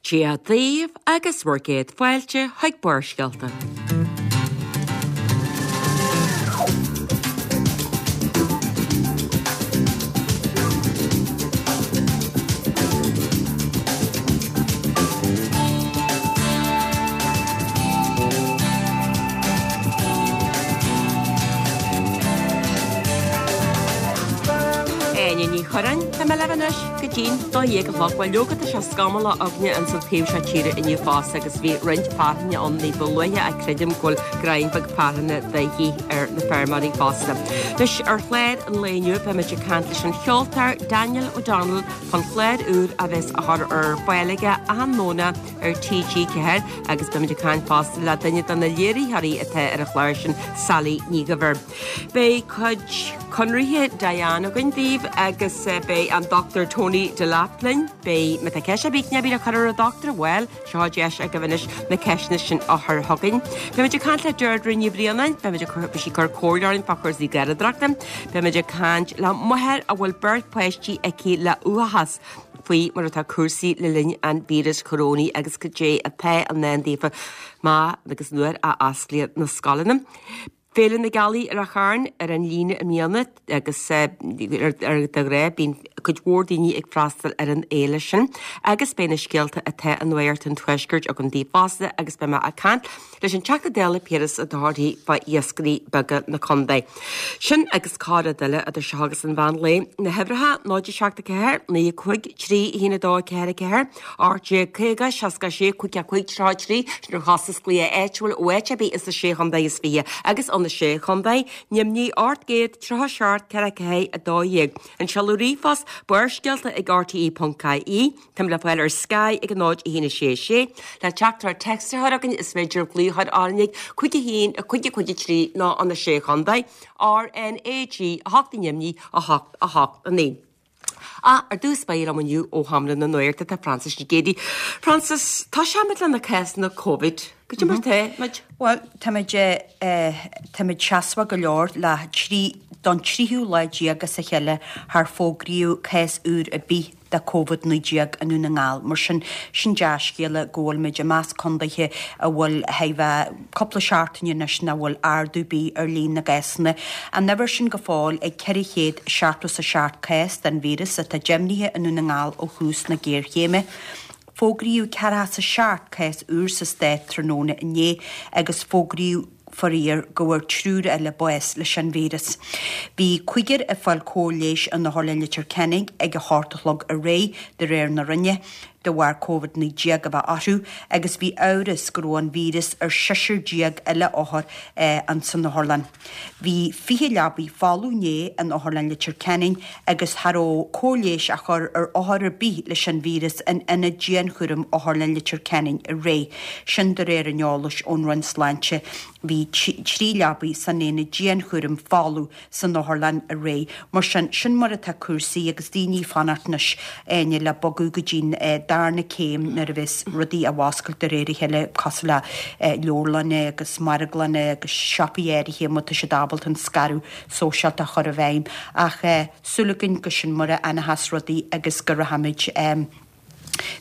Dia daoibh agus bhur gcéad fáilte chuig Barrscéalta. Áine Ní Churráin, tá mé libh anois go dtí'n 12 a chlog. Bhuel leoga tá sé scamallach againne ins an taobh seo tíre inniu fosta agus bhí roinnt fearthainne ann ní ba luaithe ach creidim go bhfuil greim beag fearthainne de dhíth ar na feirmeoirí fosta. Anois ar chlár an lae inniu beimid ag caint leis an cheoltóir Daniel O'Donnell fán chlár úr a bheas á chur ar fáil aige achan nDomhnach ar TG4 agus beimid ag caint fosta le duine de na léiritheoirí atá ar an chlár sin, Sally Ní Dhuibhir. Beidh cuid conraithe Diane againn daoibh agus beidh an Dr Tony Delap linn. Beidh, má tá ceist ar bith le cur ar an Doctor, bhuel, seo deis agaibh anois na ceisteanna sin a chur chugainn. Beimid ag caint le Deirdre Ní Bhraonáin, beimid ag cur, beidh sí ag cur comhairle orainn fá chúrsaí garraíodóireachta. Beimid ag caint le máthair a bhfuil beirt páistí aici le uathachas. faoi mar atá cúrsaí le linn an víreas corónaigh agus cad é atá i ndán daofa má agus nuair a osclaíonn na scoileanna. Féile na Gealaí i Ráth Chairn ar an líne i mbliana agus de ghnáth bíonn cuid mhór daoine ag freastal ar an fhéile sin agus beidh na scéalta atá i Nuacht an Tuaiscirt agam daoibh fosta agus beidh mé ag caint leis an Teachta Dála Piaras Ó Dochartaigh fá iascairí beaga na contae. Sin agus corr-rud eile idir seo agus an mheán lae. Na huimhreacha, 0 7 4 9 5 3 1 2 4 4 18 50 66 5 5 33 Sin ar chostas glaoch áitiúil ó áit ar bith ins na Sé Chontae is Fiche agus ó na Sé Chontae, Nimhní 837 4 4 12. An seoladh ríomhphost, barrscéalta ag rte.ie. Táim le fáil ar Sky ag 0 1 6 6. Le teachtaireacht téacs a chur chugainn is féidir glaoch a chur orainn ag 5 1 5 5 3 nó an 6 Chontae, RnaG 8 i nDoimní 8 8 9. Ach ar dtús báire liom inniu ó Sheomra na Nuachta tá Frances Nic Géadaigh. Frances, tosóimid le na cásanna Covid. Cad é mar tá muid? Bhuel, táimid, táimid seasmhach go leor le trí, don tríú lá déag as a chéile char fógraíodh cás úr ar bith de Covid-19 i nDún na nGall. Mar sin, sin dea-scéala go bhfuilimid i measc condaetha a bhfuil thar bheith cúpla seachtaine anois nach bhfuil ardú ar bith ar líon na gcásanna. An uimhir sin go fóill ag 477 cás den víreas atá deimhnithe i nDún na nGall ó thús na géarchéime. Fógraíodh 47 cás úr sa stát tráthnóna inné agus fógraíodh faraor go bhfuair triúr eile bás leis an víreas. Bhí cúigear ag fáil cóir leighis in Otharlann Leitir Ceanainn ag a hocht a chlog aréir, de réir na Roinne, de bharr Covid-19 a bheith orthu agus bhí amhras go raibh an víreas ar seisear déag eile othar san otharlann. Bhí 20 leabaidh folamh inné in Otharlann Leitir Ceanainn agus cha raibh cóir leighis á chur ar othar ar bith leis an víreas in Ionad Dianchúraim Otharlann Leitir Ceanainn aréir. Sin de réir an eolais ón Roinn Sláinte. Bhí 3 leabaidh san aonad dianchúraim folamh san otharlann aréir. Mar sin, sin mar atá cúrsaí agus daoine ag fanacht anois, Áine, le bogadh go dtí'n darna céim nuair a bheas rudaí á bhfoscailt de réir a chéile cosúil le leabharlanna agus marglanna agus siopaí áirithe má tá siad ábalta an scaradh sóisialta a chur i bhfeidhm. Ach súil againn go sin mar a fhanfas rudaí agus go rachaimid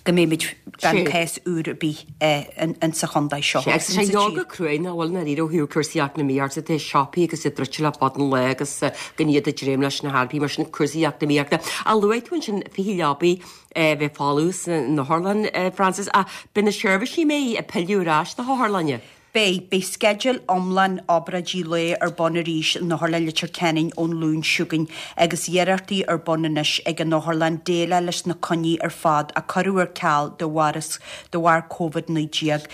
go mbeimid gan cás úr ar bith insa chontae seo. Sea, agus tá sé go cruaidh nach bhfuil ndáiríre ó thaobh cúrsaí eacnamaíochta de, siopaí agus iad druidte le fada an lá agus gan iad ag dréim leis na hearraí mar sin cúrsaí eacnamaíochta. Ach luaigh tú ansin 20 leabaidh a bheith folamh san otharlann, Frances, ach beidh na seirbhísí mbeidh ag pilleadh ar ais na hotharlainne. Beidh. Beidh sceideal iomlán obráidí lae ar bun arís in Otharlann Leitir Ceanainn ón Luan seo chugainn agus iarrachtaí ar bun anois ag an otharlann déileáil leis na coinní ar fad a cuireadh ar ceal de bharr de bharr Covid-19.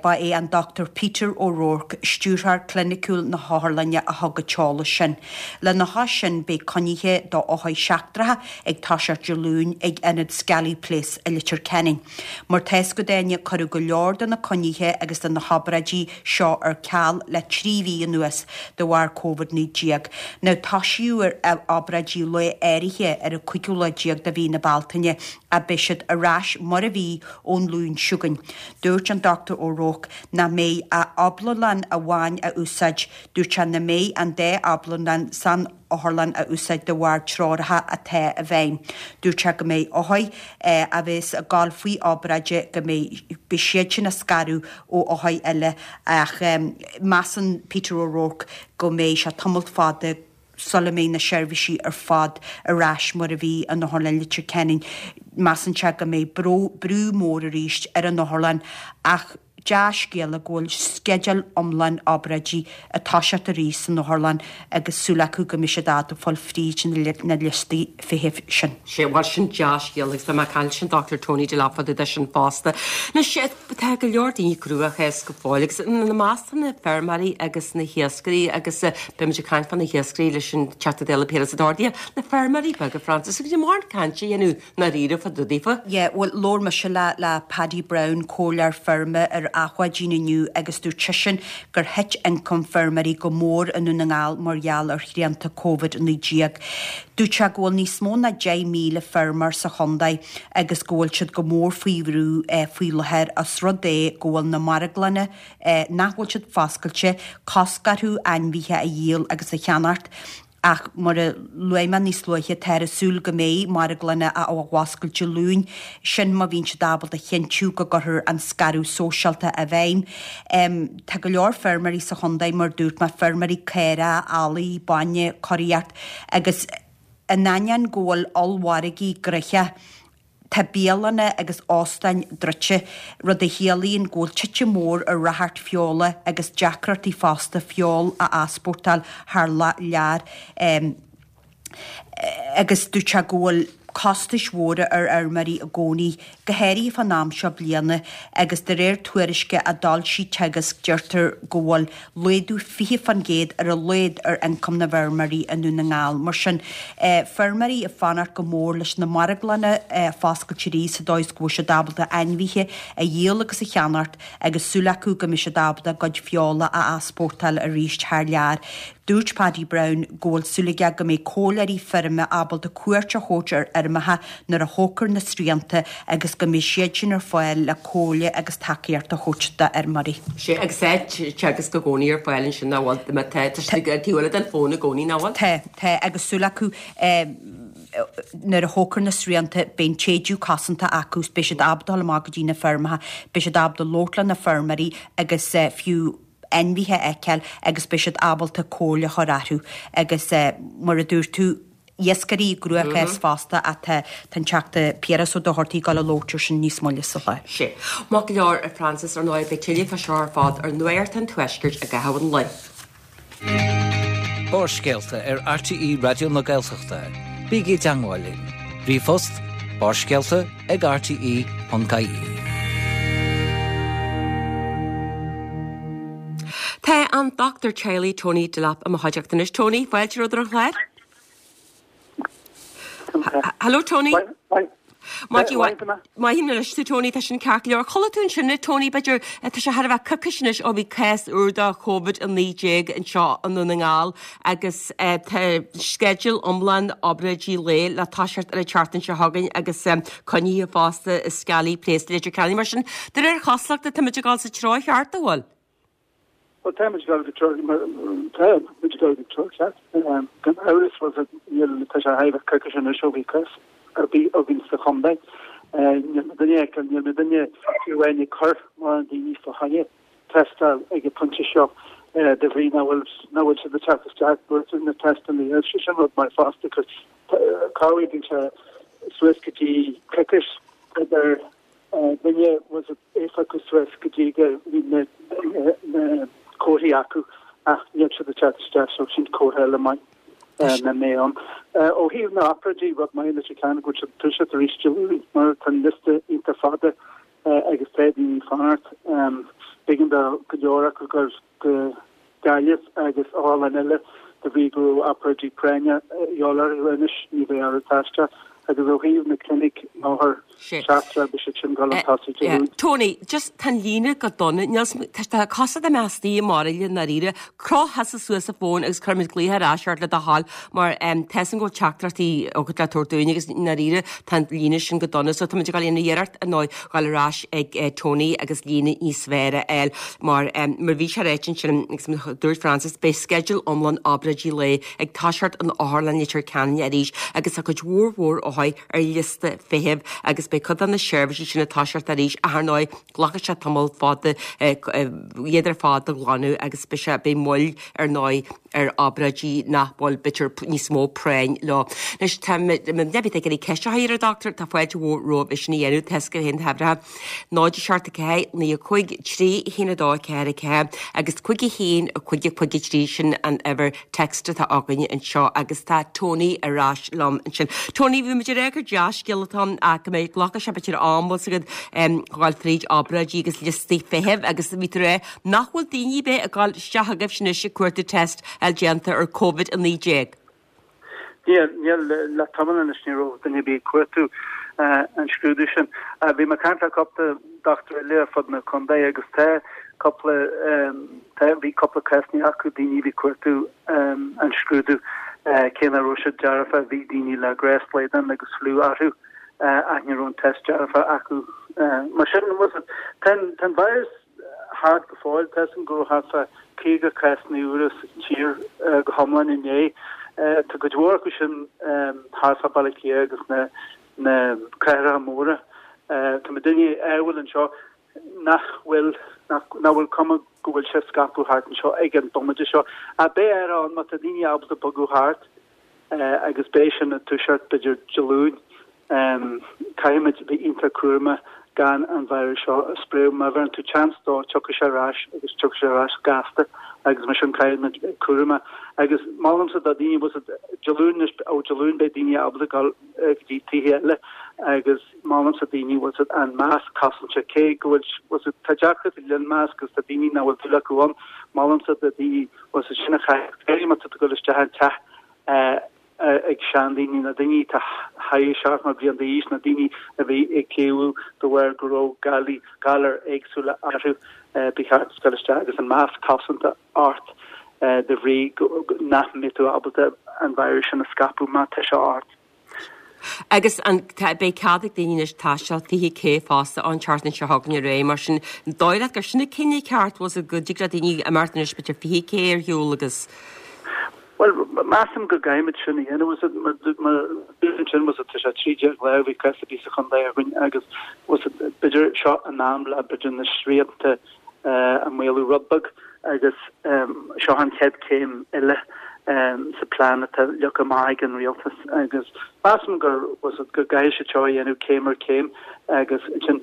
Ba é an Dr Peter O'Rourke, Stiúrthóir Cliniciúil na hotharlainne a thug an t-eolas sin. Lena chois sin beidh coinnithe do othair sheachtracha ag toiseacht Dé Luain ag Ionad Skelly Place i Leitir Ceanainn. Mar tá fhios agat Áine, cuireadh go leor de na coinnithe agus de na hobráidí seo ar ceal le 3 mhí anuas de bharr Covid-19. Now toisíodh ar obráidí lae áirithe ar an cúigiú lá déag de mhí na Bealtaine ach beidh siad ar ais mar a bhí ón Luan seo chugainn. Dúirt an Dr O'Rourke nach mbeidh ach abhlanlán amháin á úsáid. Dúirt sé nach mbeidh an dá abhlanlán san. Otharlann a úsáid de bharr treoracha atá i bhfeidhm. Dúirt sé go mbeidh othair a bheas ag gabháil faoi obráid go mbeidh beidh siad sin á scaradh ó othair eile ach measann Peter O'Rourke go mbeidh sé tamalt fada sula mbeidh na seirbhísí ar fad ar ais mar a bhí in Otharlann Leitir Ceanainn. Measann sé go mbeidh brú mór arís ar an otharlann ach dea-scéala go bhfuil sceideal iomlán obráidí ag toiseacht arís san otharlann agus súil acu go mbeidh siad ábalta fáil fríd na liostaí feithimh sin. Sea, bhuel sin dea-scéala agus beidh mé ag caint leis an Dr Tony Delap fá dtaobh de sin fosta. Anois, tá go leor daoine i gcruachás go fóill agus ina measc tá na feirmeoirí agus na hiascairí agus beimid ag caint fá na hiascairí leis an Teachta Dála Piaras Ó Dochartaigh, na feirmeoirí beaga, Frances, agus níl mórán cainte a dhéanamh ndáiríre fá dtaobh daofa. Yeah, bhuel, labhair mise le, le Paddy Browne, comhairleoir feirme ar Achadh Mhaidín inniu agus dúirt seisean gur thit ioncam feirmeoirí go mór i nDún na nGall mar gheall ar shrianta Covid-19. Dúirt sé go bhfuil níos mó ná 10,000 feirmeoir sa chontae agus go bhfuil siad go mór faoi bhrú faoi láthair os rud é go bhfuil na marglanna nach bhfuil siad foscailte, cosc orthu ainmhithe a dhíol agus a cheannacht. Ach mar a luaigh mé níos luaithe, táthar ag súil go mbeidh marglanna á bhfoscailt Dé Luain, sin má bhíonn siad ábalta a chinntiú go gcuirfear an scaradh sóisialta i bhfeidhm. Tá go leor feirmeoirí sa chontae, mar a dúirt mé, feirmeoirí caorach, eallaigh, bainne, curaíocht agus in ainneoin go bhfuil ollmhargaí gnoitheach, Tá bialanna agus óstáin druidte, rud a chiallaíonn go bhfuil titim mhór ar ráchairt feola agus deacrachtaí fosta feoil a easpórtáil thar lear agus dúirt sé go bhfuil costais mhóra ar fheirmeoirí i gcónaí, go háirithe fán am seo bliana agus de réir tuairisce a d'fhoilsigh Teagasc deirtear go bhfuil laghdú 20% ar a laghad ar ioncam na bhfeirmeoirí i nDún na nGall. Mar sin, feirmeoirí ag fanacht go mór leis na marglanna a foscailt arís sa dóigh is go bhfuil siad ábalta ainmhithe a dhíol agus a cheannacht agus súil acu go mbeidh siad ábalta a gcuid feola a easpórtáil arís thar lear. Dúirt Paddy Browne go bhfuil súil aige go mbeidh comhairleoirí feirme ábalta cuairt a thabhairt ar fheirmeacha nuair a thógfar na srianta agus go mbeidh siad sin ar fáil le comhairle agus tacaíocht a thabhairt d'fheirmeoirí. Sea, agus tá Teagasc i gcónaí ar fáil ansin, nach bhfuil? Má tá, tá siad ag taobh eile den fón i gcónaí, nach bhfuil? Tá, tá, agus súil acu nuair a thógfar na srianta beidh an t-éideadh cosanta acu, beidh siad ábalta dul amach go dtí na feirmeacha, beidh siad ábalta labhairt le na feirmeoirí agus fiú ainmhithe a fheiceáil agus beidh siad ábalta comhairle a chur orthu agus mar a dúirt tú, iascairí i gcruachás fosta ach tá an Teachta Piaras Ó Dochartaigh ag dul a labhairt ar sin níos moille sa chlár. Sea. Maith go leor, a Frances, ar ndóigh beidh tuilleadh fá seo ar fad ar Nuacht an Tuaiscirt i gcaitheamh an lae. Barrscéalta ar RTÉ Raidió na Gaeltachta. Bígí i dteangmháil linn. Ríomhphost, barrscéalta ag rte.ie. Tá an Dochtúir Teaghlaigh Tony Delap i mo chuideachta anois. Tony, fáilte romhat ar an chlár. Hello Tony. Maith anois tú Tony, tá sin ceart go leor. Chuala tú ansin é Tony, b'fhéidir, tá sé thar a bheith coicís anois ó bhí cás úr de Covid-19 anseo i nDún na nGall agus tá sceideal iomlán obráidí lae le toiseacht ar an tseachtain seo chugainn agus coinnithe fosta i Skelly Place, Leitir Ceanainn. Mar sin, de réir chosúlachta, táimid ag dul sa treo cheart, an bhfuil? Bhuel, táimid ag dul go treo, táimid ag dul go treo ceart. Gan amhras, bhuel, níl, tá sé thar a bheith coicís anois ó bhí cás ar bith againn sa chontae. Níl mé duine, níl mé duine fiú amháin ag cur mórán daoine fá choinne tástáil ag an pointe seo de bhrí nach bhfuil, nach bhfuil siad ag teacht isteach buailte na tástálacha. Sé sin rud maith fosta, cos corruair bíonn sé suas go dtí coicís idir duine was éifeacht suas go dtí go mbíonn na comharthaí acu ach níl siad ag teacht isteach so sin comhartha eile maith nach mbeidh ann. Ó thaobh na n-obráidí, rud maith leis an ceann go bhfuil siad ag toiseacht arís Dé Luain mar tá an liosta iontach fada agus tá daoine ag fanacht. B'éigean do go leor acu dul go Gaillimh agus otharlann eile de bhrí go raibh obráidí práinne a dhíobháil orthu anois ní bheidh orthu taisteal. Agus ó thaobh na clinic na hothar seachtrach beidh siad sin ag dul chun tosaigh Dé Luain. Tony, just tá an líne go dona, níl 's, tá tá cosúil dá mbeifeá istigh i mbairille i ndáiríre. Croch thusa suas an fón agus cuirfimid glaoch ar ais ort le do thoil mar em tá 'fhios agam go bhfuil teachtaireachtaí agat le tabhairt dúinn agus i ndáiríre tá an líne sin go dona so táimid ag dul a dhéanamh iarracht ar ndóigh dhul ar ais ag eh Tony agus líne níos fearr a fháil mar em mar bhí sé ráite ansin agus mar dúirt Francis beidh sceideal iomlán obráidí lae ag toiseacht in Otharlann Leitir Ceanainn arís agus tá cuid mhór mhór othair ar liosta feithimh agus beidh cuid de na seirbhísí sin ag toiseacht arís ach ar ndóigh glacfaidh sé tamall fada iad ar fad a ghlanadh agus beidh sé beidh moill ar ndóigh ar obráidí nach bhfuil b'fhéidir níos mó práinn leo. Anois tá mé ag iarraidh ceist a chur ar an dochtúir tá fáilte mhór romhaibh é sin a dhéanamh tá 'fhios agaibh féin na huimhreacha 0 7 4 9 5 3 1 2 4 4 agus 5 1 5 5 3 sin an uimhir text atá againne anseo agus tá Tony ar ais liom ansin. Tony, bhí muid ag rá gur dea-scéal atá ann ach go mbeidh glacfaidh sé b'fhéidir am bhfuil 's agat dhul fríd obráidí agus liostaí feithimh agus bhí tú ag rá nach bhfuil daoine ar bith ag dul isteach agaibhse anois ag cuartú test a fháil déanta ar Covid-19. Níl, níl, le tamall anois ní raibh duine ar bith ag cuartú an scrúdú sin. Bhí mé ag caint le cúpla dochtúir eile ar fud na contae agus tá cúpla, tá, bhí cúpla cásanna acu, daoine a bhí ag cuartú an scrúdú cé nach raibh siad dearfa, bhí daoine le gnáthshlaghdán agus fliú orthu ach ní raibh an test dearfa acu. Mar sin, tá an virus thart go fóill. Tá 'fhios agam go raibh thart fá 50 cásanna úra sa tír go hiomlán inné. Tá cuid mhór acu sin thart fá Baile Átha Cliath agus na na cathracha móra. Tá muidinne ádhúil anseo nach bhfuil nach bhfuil cuma go bhfuil sé ag scaipeadh thart anseo ag an bomaite seo. Ach beidh athrú ann má tá daoine ábalta bogadh thart agus beidh sin ag toiseacht b'fhéidir Dé Luain. Caithfimid a bheith iontach cúramach gan an virus seo a spréadh. Má bheireann tú chance dó, tiocfaidh sé ar ais agus tiocfaidh sé ar ais gasta agus mar sin caithfimid bheith cúramach. Agus molaimse do dhaoine, bhfuil 's agat, Dé Luain anois, ó Dé Luain beidh daoine ábalta dul go dtí tithe eile agus molaimse daoine, bhfuil 's agat, an masc cosanta, cé go bhfuil, bhfuil 's agat, tá deacracht le an masc agus tá daoine nach bhfuil dúil acu ann, molaimse do daoine, bhfuil 's agat, sin a chaitheamh, go háirithe má tá tú ag dul isteach i dteach ag seandaoine, na daoine atá thar 70 bliain d'aois, na daoine a bhí ag cliabhadh de bharr go raibh galair, galair éagsúla orthu, ba cheart dul isteach agus an masc cosanta ort de bhrí nach mbeidh tú ábalta an virus sin a scaipeadh má tá sé ort. Agus an, tá, beidh cead ag daoine anois taisteal 20 K fosta an tseachtain seo chugainn ar aghaidh, mar sin, an dóigh leat gur sin an cinneadh ceart, bhfuil 's agat, go dtig le daoine imeacht anois b'fhéidir 20 K ar shiúl agus. Bhuel, measaim go gcaithfimid sin a dhéanamh. Bhfuil 's agat, mar ansin, bhfuil 's agat, tá sé 13 lá ó bhí cás ar bith sa chontae againn agus, bhfuil 's agat, b'fhéidir seo an am le, b'fhéidir na srianta a mhaolú rud beag agus seo an chéad chéim eile sa plean atá leagtha amach ag an rialtas agus measaim gur, bhfuil 's agat, go gcaithfidh siad seo a dhéanamh céim ar chéim agus ansin,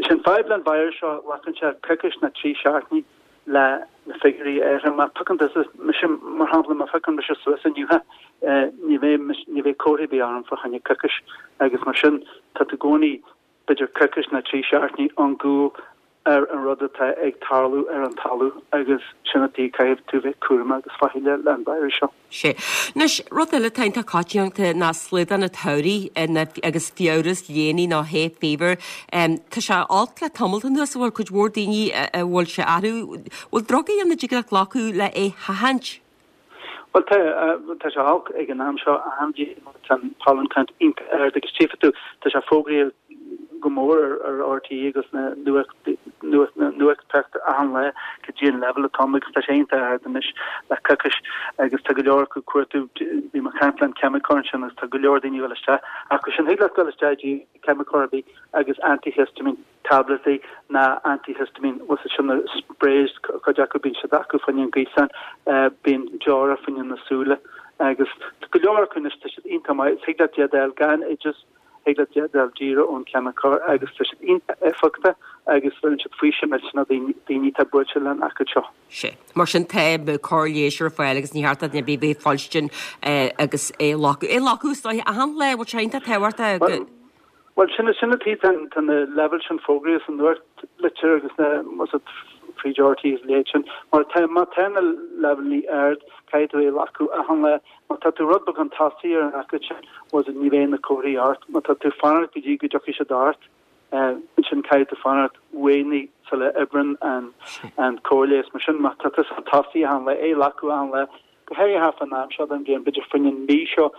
sin fadhb le an virus seo, glacann sé coicís nó 3 seachtainí le na figiúirí a athrú. Má phiocann tusa mise, mar shampla, má phiocann mise suas inniu, ní bheidh, ní bheidh comhartha ar bith orm fá choinne coicís agus mar sin tá tú i gcónaí b'fhéidir coicís nó 3 seachtainí ón gcúl ar an rud atá ag tarlú ar an talamh agus sin an tuige caithfidh tú bheith cúramach agus faichilleach le an virus seo. Sea. Anois, rud eile atá iontach coitianta ná slaghdán an tsamhraidh agus fiabhras léine nó hay fever. Tá sé olc le tamalt anuas, an bhfuil cuid mhór daoine a bhfuil sé orthu. Bhfuil drugaí ann a dtig leat glacadh le é sheachaint? Bhuel, tá, tá sé olc ag an am seo achan bhliain, tá an pollen count iontach ard agus tchífidh tú, tá sé fógraithe go mór ar RTÉ agus na nuachtpháipéir achan lá cad é an leibhéal atá ann agus tá sé iontach ard anois le coicís agus tá go leor acu ag cuartú, bhí mé ag caint le an ceimiceoir ansin agus tá go leor daoine ag dul isteach acu sin. Thig leat dul isteach dtí ceimiceoir ar bith agus antihistamine tabletaí ná antihistamine bhfuil 's agat sin na sprays cuid acu bíonn siad acu fá choinne an gaosán bíonn deora fá choinne na súile agus tá go leor acu anois tá siad iontach maith thig leat iad a fháil gan oideas Thig leat iad a fháil díreach ón cheimiceoir agus tá siad iontach éifeachtach agus bheireann siad faoiseamh millteanach do dhaoine atá buailte len aicíd seo. Sea. Mar sin tá cóir leighis ar fáil agus ní cheart do dhuine ar bith bheith ag fuilstin agus é a ghlacadh. É a ghlacadh is dóiche achan lá, bhfuil sé iontach tábhachtach go. Bhuel, sin sin an tuige tá na leibhéil sin fógraithe sa nuachtlitir agus na, bhfuil 's agat. fríd RTÉ is a leithéid sin. Mar tá, má tá na leibhéalaí ard, caithfidh tú é a ghlacadh achan lá. Má tá tú rud beag chun tosaigh ar an aicíd sin, bhfuil fhios agat, ní bheidh na comharthaí ort. Má tá tú ag fanacht go dtí go dtiocfaidh siad ort, ansin caithfidh tú fanacht uaighnigh sula oibreann an an cóir leighis. Mar sin, má tá tú chun tosaigh achan lá, é a ghlacadh achan lá, go háirithe thart fán am seo den bhliain, b'fhéidir fá choinne an mhí seo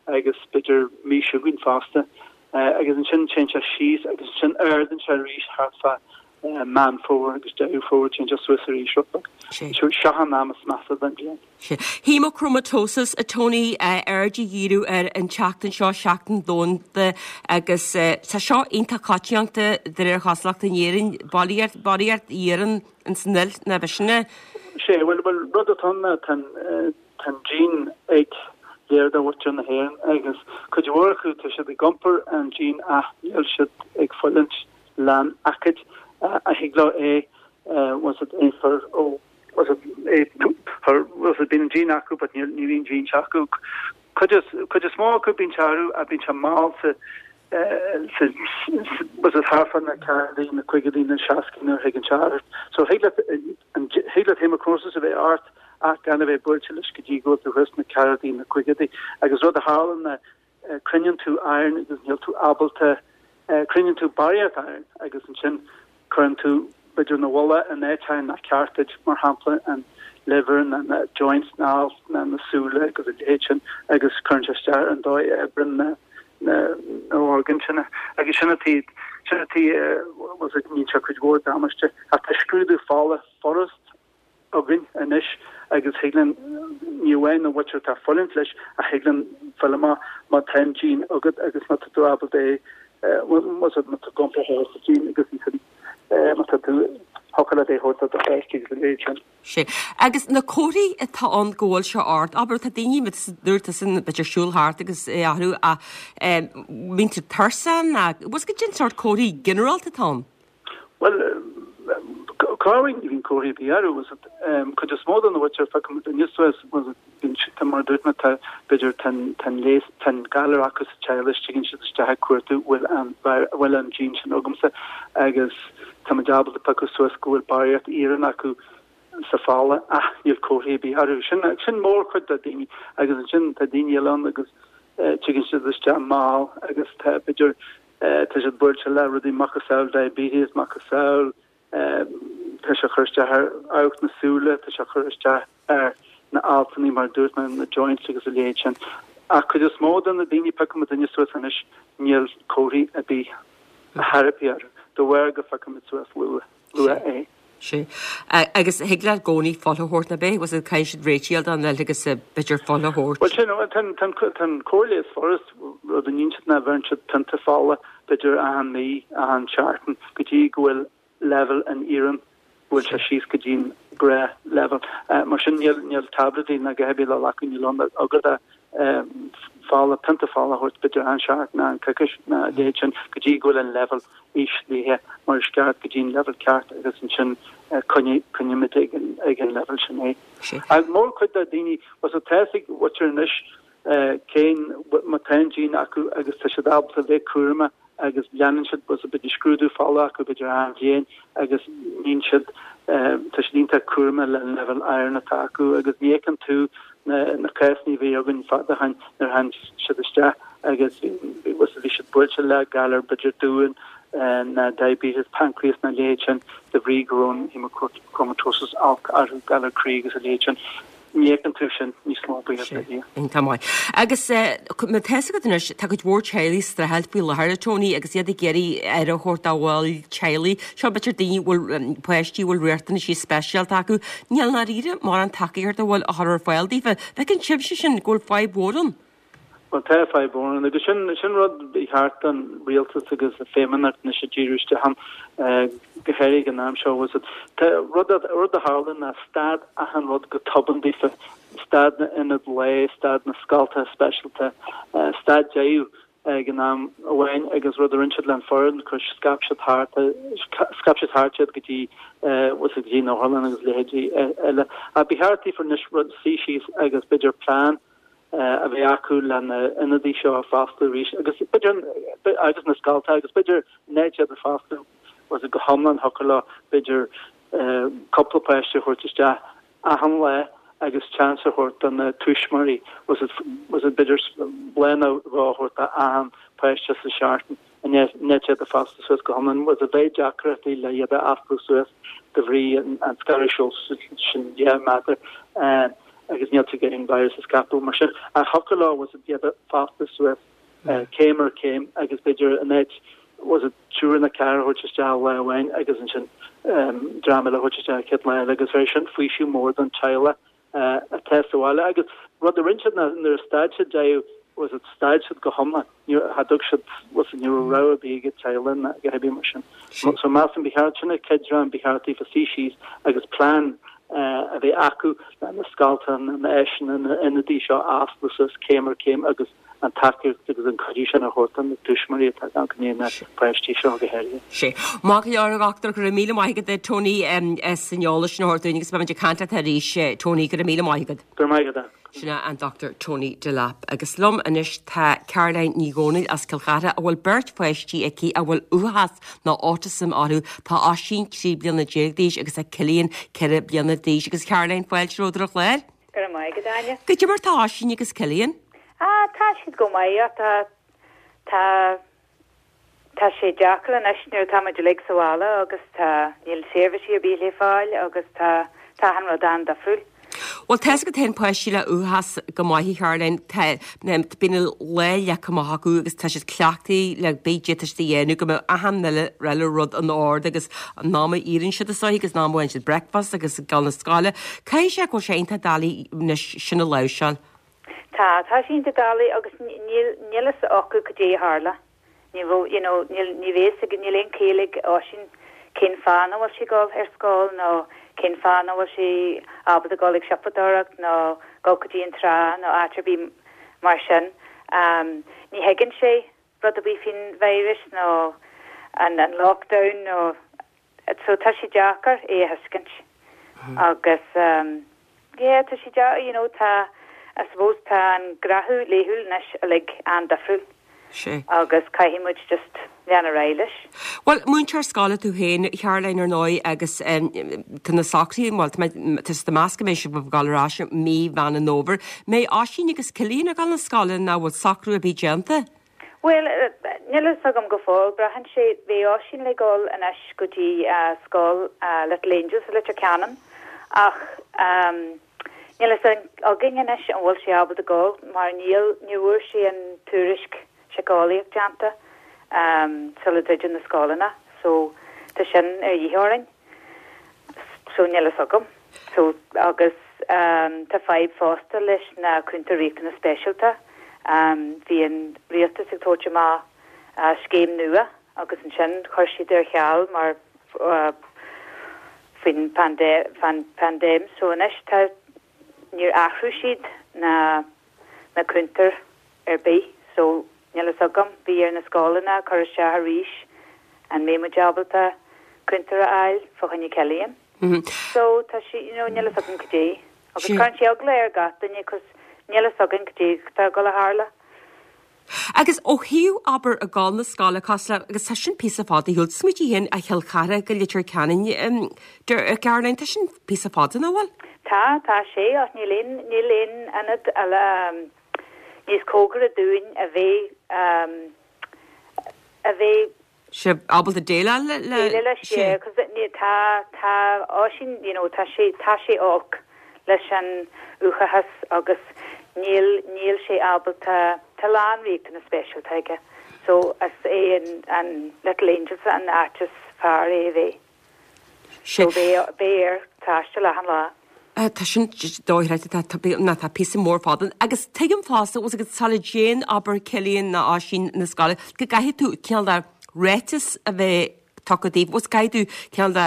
agus b'fhéidir mí seo chugainn fosta. Agus ansin téann sé síos agus ansin ardaíonn sé arís thart fá Meán Fómhair agus Deireadh Fómhair, téann sé suas arís rud beag. Seo an am is measa den bhliain. Haemochromatosis, a Tony, aird a dhíriú air an tseachtain seo, Seachtain Dhomhanda, agus tá seo iontach coitianta de réir chosúlachta in Éirinn, barraíocht, barraíocht iarann ins an fhuil, nach b'shin é? Sea, bhuel, bhuel, rud atá ann ná tá an, tá an gene ag léir de mhuintir na hÉireann agus cuid mhór acu tá siad ag iompar an gene ach níl siad ag fulaingt leis an aicíd a thig leo é, bhfuil fhios agat, é a chur ó, bhfuil fhios agat, é chur, bhfuil fhios agat, bíonn an gene acu but níl, ní bhíonn gene acu. Cuid is, cuid is mó acu bíonn sé orthu ach bíonn sé mall sa, sa, bhfuil fhios agat, thart fá na ceathrachaidí, na caogaidí, na seascaidí nuair a thigeann sé ort. So thig leat, an, thig leat haemochromatosis a bheith ort ach gan a bheith buailte leis go dtí go bhfuil tú thuas sna ceathrachaidí, na caogaidí. Agus rud a tharlann ná cruinníonn tú iron agus níl tú ábalta, cruinníonn tú barraíocht iron agus ansin cuireann tú b'fhéidir na bhfuil in áiteacha nach ceart duit, mar shampla an liver nó na joints na ailt nó na súile agus a leithéid sin agus cuireann sé isteach ar an dóigh a oibreann na na na orgáin sin agus sin an tuige sin an tuige bhfuil fhios agat níonn sé cuid mhór damáiste ach tá scrúdú fola furast againn anois agus thig linn, ní amháin an mhuintir atá ag fulaingt leis ach thig linn fáil amach má tá an gene agat agus má tá tú ábalta é, má tá tú ag iompar an gene agus ansin má tá tú, thiocfadh leat é a thabhairt do do pháistí agus a leithéid sin. Sea. Agus na comharthaí atá ann go bhfuil sé ort, abair, tá daoine, dúirt tusa, b'fhéidir siúl thart agus é orthu ach mbíonn tú tuirseach nó, bhfuil fhios agat cén sórt comharthaí ginearálta atá ann? Bhuel, comharthaí, ní bhíonn comharthaí ar bith orthu, bhfuil fhios agat. Cuid is mó de na mhuintir a phiocann muid aníos suas, bhfuil fhios agat, bíonn siad, tá, mar a dúirt mé, tá, b'fhéidir, tá an, tá an leigheas, tá an galar acu sa teaghlach, tigeann siad isteach ag cuartú, bhfuil an, bhfuil an gene sin agamsa agus tá muid ábalta piocadh suas go bhfuil barraíocht iarainn acu sa fola ach níl comharthaí ar bith orthu. Sin, sin mórchuid de daoine agus ansin tá daoine eile ann agus tigeann siad isteach mall agus tá, b'fhéidir, Tá siad buailte le rudaí macasamhail diabetes, macasamhail, tá sé ag cur isteach ar amharc na súile, tá sé ag cur isteach ar na altannaí mar a dúirt mé, na joints agus a leithéid sin. Ach cuid is mó de na daoine a phiocann muidinne suas anois, níl comharthaí ar bith ar bith orthu, de bharr go phiocann muid suas luath. luath é. Sea. Agus thig leat i gcónaí fuil a thabhairt nach ea? Bhfuil fhios agat caithfidh siad réitigh don fhuil agus b'fhéidir fuil a thabhairt. Bhuel sin, tá an cóir leighis furast, rud a níonn siad ná bheireann siad pionta fola b'fhéidir achan mí, achan seachtain go dtí go bhfuil leibhéal an iarainn, go bhfuil sé síos go dtí an gnáthleibhéal. Mar sin níl, níl táibléidí ná a dhath ar bith le glacadh, níl ann agat ach fola, pionta fola a thabhairt b'fhéidir achan seachtain, achan coicís ná a leithéid sin go dtí go bhfuil an leibhéal íslithe mar is ceart go dtí an leibhéal ceart agus ansin coinnímid ag an ag an leibhéal sin é. Ach mórchuid de daoine, bhuel so tá fhios ag muintir anois cén má tá an gene acu agus tá siad ábalta bheith cúramach agus leanann siad bhuel so b'fhéidir scrúdú fola acu b'fhéidir achan bhliain agus níonn siad tá siad iontach cúramach le an leibhéal iron atá acu agus ní fheiceann tú na na cásanna a bhí againn fada ó shin nuair a tháinig siad isteach agus bhí bhí siad buailte le galar b'fhéidir duan ná diabetes pancreas ná a leithéid sin de bhrí go raibh an hemochromatosis olc orthu, galar croí agus a leithéid sin. Ní fheiceann tú sin níos mó buíochas le Dia. Iontach maith. Agus mar tá fhios agat anois, tá cuid mhór teaghlaigh ag streachailt faoi láthair, a Tony, agus iad ag iarraidh aire a thabhairt dá bhaill teaghlaigh. Seo b'fhéidir daoine a bhfuil, páistí a bhfuil riachtanaisí speisialta acu. Níl i ndáiríre mórán tacaíochta a bhfuil á chur ar fáil daofa. Feiceann sibhse sin go bhfuil fadhb mhór ann. Bhuel, tá fadhb mhór ann agus sin, sin rud ba cheart don rialtas agus an Feidhmeannacht anois a díriú isteach ann, go háirithe ag an am seo. Bhfuil fhios agat, tá rud, rud a tharla ná stad achan rud go tobann daofa, stad na n-ionad lae, stad na scoltacha speisialta, stad deireadh ag an am amháin agus rud a rinne siad le an foireann, chuir, scaip siad thart, scaip siad thart iad go dtí, bhfuil fhios agat, go dtí na otharlanna agus leithéidí eile. Ach ba cheart daofa anois rud, suí síos agus b'fhéidir plean a bheith acu le na ionadaí seo a fosclú arís agus b'fhéidir agus na scoltacha agus b'fhéidir in áit iad a fosclú bhfuil fhios agat go hiomlán thiocfadh leo b'fhéidir. cúpla páiste a thabhairt isteach achan lá agus chance a thabhairt do na tuismitheoirí, bhfuil a fhios agat, b'fhéidir lá nó dhó a thabhairt do achan páiste sa seachtain in áit iad a foscladh suas go hiomlán. Bhfuil a fhios agat, bheadh deacrachtaí le iad a fhoscladh suas de bhrí an scaradh sóisialta sin 10 méadar agus níl tú ag iarraidh an virus a scaipeadh mar sin. Ach thiocfadh leo, bhfuil a fhios agat, iad a foscladh suas céim ar chéim agus b'fhéidir in áit bhfuil a fhios agat triúr nó ceathrar a thabhairt isteach lá amháin agus ansin dream eile a thabhairt isteach an chéad lá eile agus bheadh sin faoiseamh mór don teaghlach atá sa bhaile agus rud a rinne siad ná nuair a stad siad deireadh bhfuil a fhios agat stad siad go hiomlán ní cha dtug siad bhfuil a fhios agat ní raibh rogha ar bith ag teaghlaigh ná a dhath ar bith mar sin. So measaim ba cheart sin an chéad dream ba cheart daofa suí síos agus plean a bheith acu le na scoltacha na áiseanna na ionadaí seo a oscladh suas céim ar chéim agus an tacaíocht agus an cuidiú sin a thabhairt do na tuismitheoirí atá gan coinne na páistí seo go háirithe. Sea. Maith go leor, a Dhochtúir, go raibh míle maith agat, Tony, as an eolas sin a thabhairt dúinn agus beimid ag caint leat arís, Tony, go raibh míle maith agat. Go raibh maith agat. Sin é an Dr Tony Delap. Agus liom anois tá Caroline Ní Dhomhnaill as Cill Chartha a bhfuil beirt pháistí aici a bhfuil uathachas nó autism orthu. Tá Oisín 13 bliana d'aois agus tá Cillian 4 bliana d'aois. Agus Caroline, fáilte romhat ar an chlár. Go raibh maith agat, Áine. Goidé mar tá Oisín agus Cillian? Ah, tá siad go maith, ach tá, tá, tá sé deacair anois nuair atá muid uilig sa bhaile agus tá, níl seirbhísí ar bith le fáil agus tá, tá achan rud an-difriúil. Bhuel, tá's agat féin páistí le uathachas go maith, a Charoline, tá, bíonn an lá leagtha amach acu agus tá siad cleachtaithe le pé tá siad a dhéanamh go mbeadh achan uile rud in ord agus an am a éiríonn siad is dóiche agus an am a bhfaigheann siad breakfast agus ag dul na scoile. Caithfidh sé go bhfuil sé iontach doiligh anois sin a láimhseáil. Tá, tá sé iontach doiligh agus níl, níl fhios acu cad é a tharla. Ní raibh, you know, níl, ní bheidh fhios ag, níl aon chiall ag Oisín cén fáth nach bhfuil sé ag dul ar scoil nó cén fáth nach bhfuil sé ábalta dul ag siopadóireacht nó dul go dtí an trá nó áit ar bith mar sin. Ní thuigeann sé rud ar bith faoin virus nó an an lockdown nó so tá sé deacair é a thuiscint agus yeah tá sé deacair you know tá I suppose tá an gnáthamh laethúil anois uilig an-difriúil Sea. agus caithfidh muid just lean ar aghaidh leis. Bhuel, múinteoir scoile tú féin, Caroline, ar ndóigh, agus tá na socruithe, bhuel, tá mé, tá siad ag meas go mbeidh sibh ag dul ar ais i mí Mheán an Fhómhair. Mbeidh Oisín agus Cillian ag dul na scoile nó bhfuil socrú ar bith déanta? Bhuel, níl a fhios agam go fóill. Braitheann sé, bhí Oisín le dhul anois go dtí scoil Little Angels i Leitir Ceanainn ach níl a fhios againn anois an bhfuil sé ábalta dul mar níl, ní bhfuair sé an tuairisc síceolaíoch déanta sula druideadh na scoileanna so tá sin ar dhíth orainn. So níl a fhios agam. So agus tá fadhb fosta leis na cúntóirí riachtanas speisialta. Bhí an rialtas ag tabhairt amach scéim nua agus ansin chuir siad ar ceal mar faoin paindéim. So anois tá, níor athrú siad na na cúntóir ar bith so níl fhios agam, bhí ar na scoileanna cur isteach arís an mbeidh muid ábalta cúntóir a fháil fá choinne Cillian. So tá sé, you know, níl fhios agam cad é. Agus cuireann sé eagla ar gach duine cos níl fhios againn cad é atá ag dul a tharla. Agus ó thaobh, abair, ag dul na scoile, cosúil le, agus tá sin píosa fada ar shiúl, smaoitigh féin as Chill Chartha go Leitir Ceanainn, Caroline, tá sin píosa fada, nach bhfuil? Tá, tá sé, ach níl aon, níl aon ionad eile níos cóngaraí dúinn a bheidh, a bheidh. sé ábalta déileáil le, déileáil leis, sé. yeah, 'cause ní, tá, tá Oisín, you know, tá sé, tá sé olc leis an uathachas agus níl, níl sé ábalta, tá a lán riachtanas speisialta aige, so is é an, an Little Angels an áit is fearr é a bheith. So beidh, beidh air taisteal achan lá. Tá sin dochreidte, tá, tá, ná tá píosa mór fada agus tuigim fosta, bhfuil a fhios agat sula dtéann, abair, Cillian ná Oisín na scoile, go gcaithfidh tú cineál de ráiteas a bheith tugtha daoibh, bhfuil caithfidh tú cineál de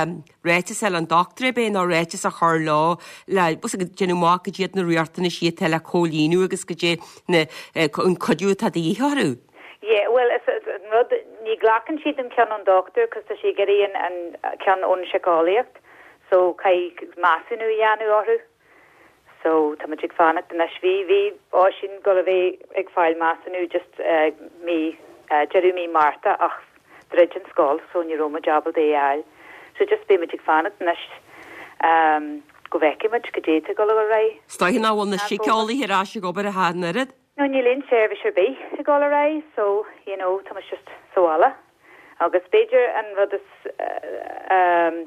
ráiteas a fháil ón dochtúir ab é nó ráiteas a chur leo le, bhfuil a fhios agat, déanamh amach cad iad na riachtanaisí atá le comhlíonadh agus cad é na, an cuidiú atá de dhíth orthu. Yeah, bhuel, is, is an rud, ní ghlacann siad an ceann ón dochtúir cos tá sé ag iarraidh an, an ceann ón síceolaíocht. So caithfidh measúnú a dhéanamh orthu. So tá muid ag fanacht anois. Bhí, bhí Oisín ag dul a bheith ag fáil measúnú just mí, deireadh mí Márta ach dhruid an scoil so ní raibh muid ábalta é a fháil. So just beidh muid ag fanacht anois go bhfeicfidh muid goidé atá ag dul ar aghaidh. Is dóiche nach bhfuil na síceolaithe ar ais ag obair ach an oiread? No, níl aon seirbhís ar bith ag dul ar aghaidh so, you know, tá muid just sa bhaile. Agus b'fhéidir an rud is ehm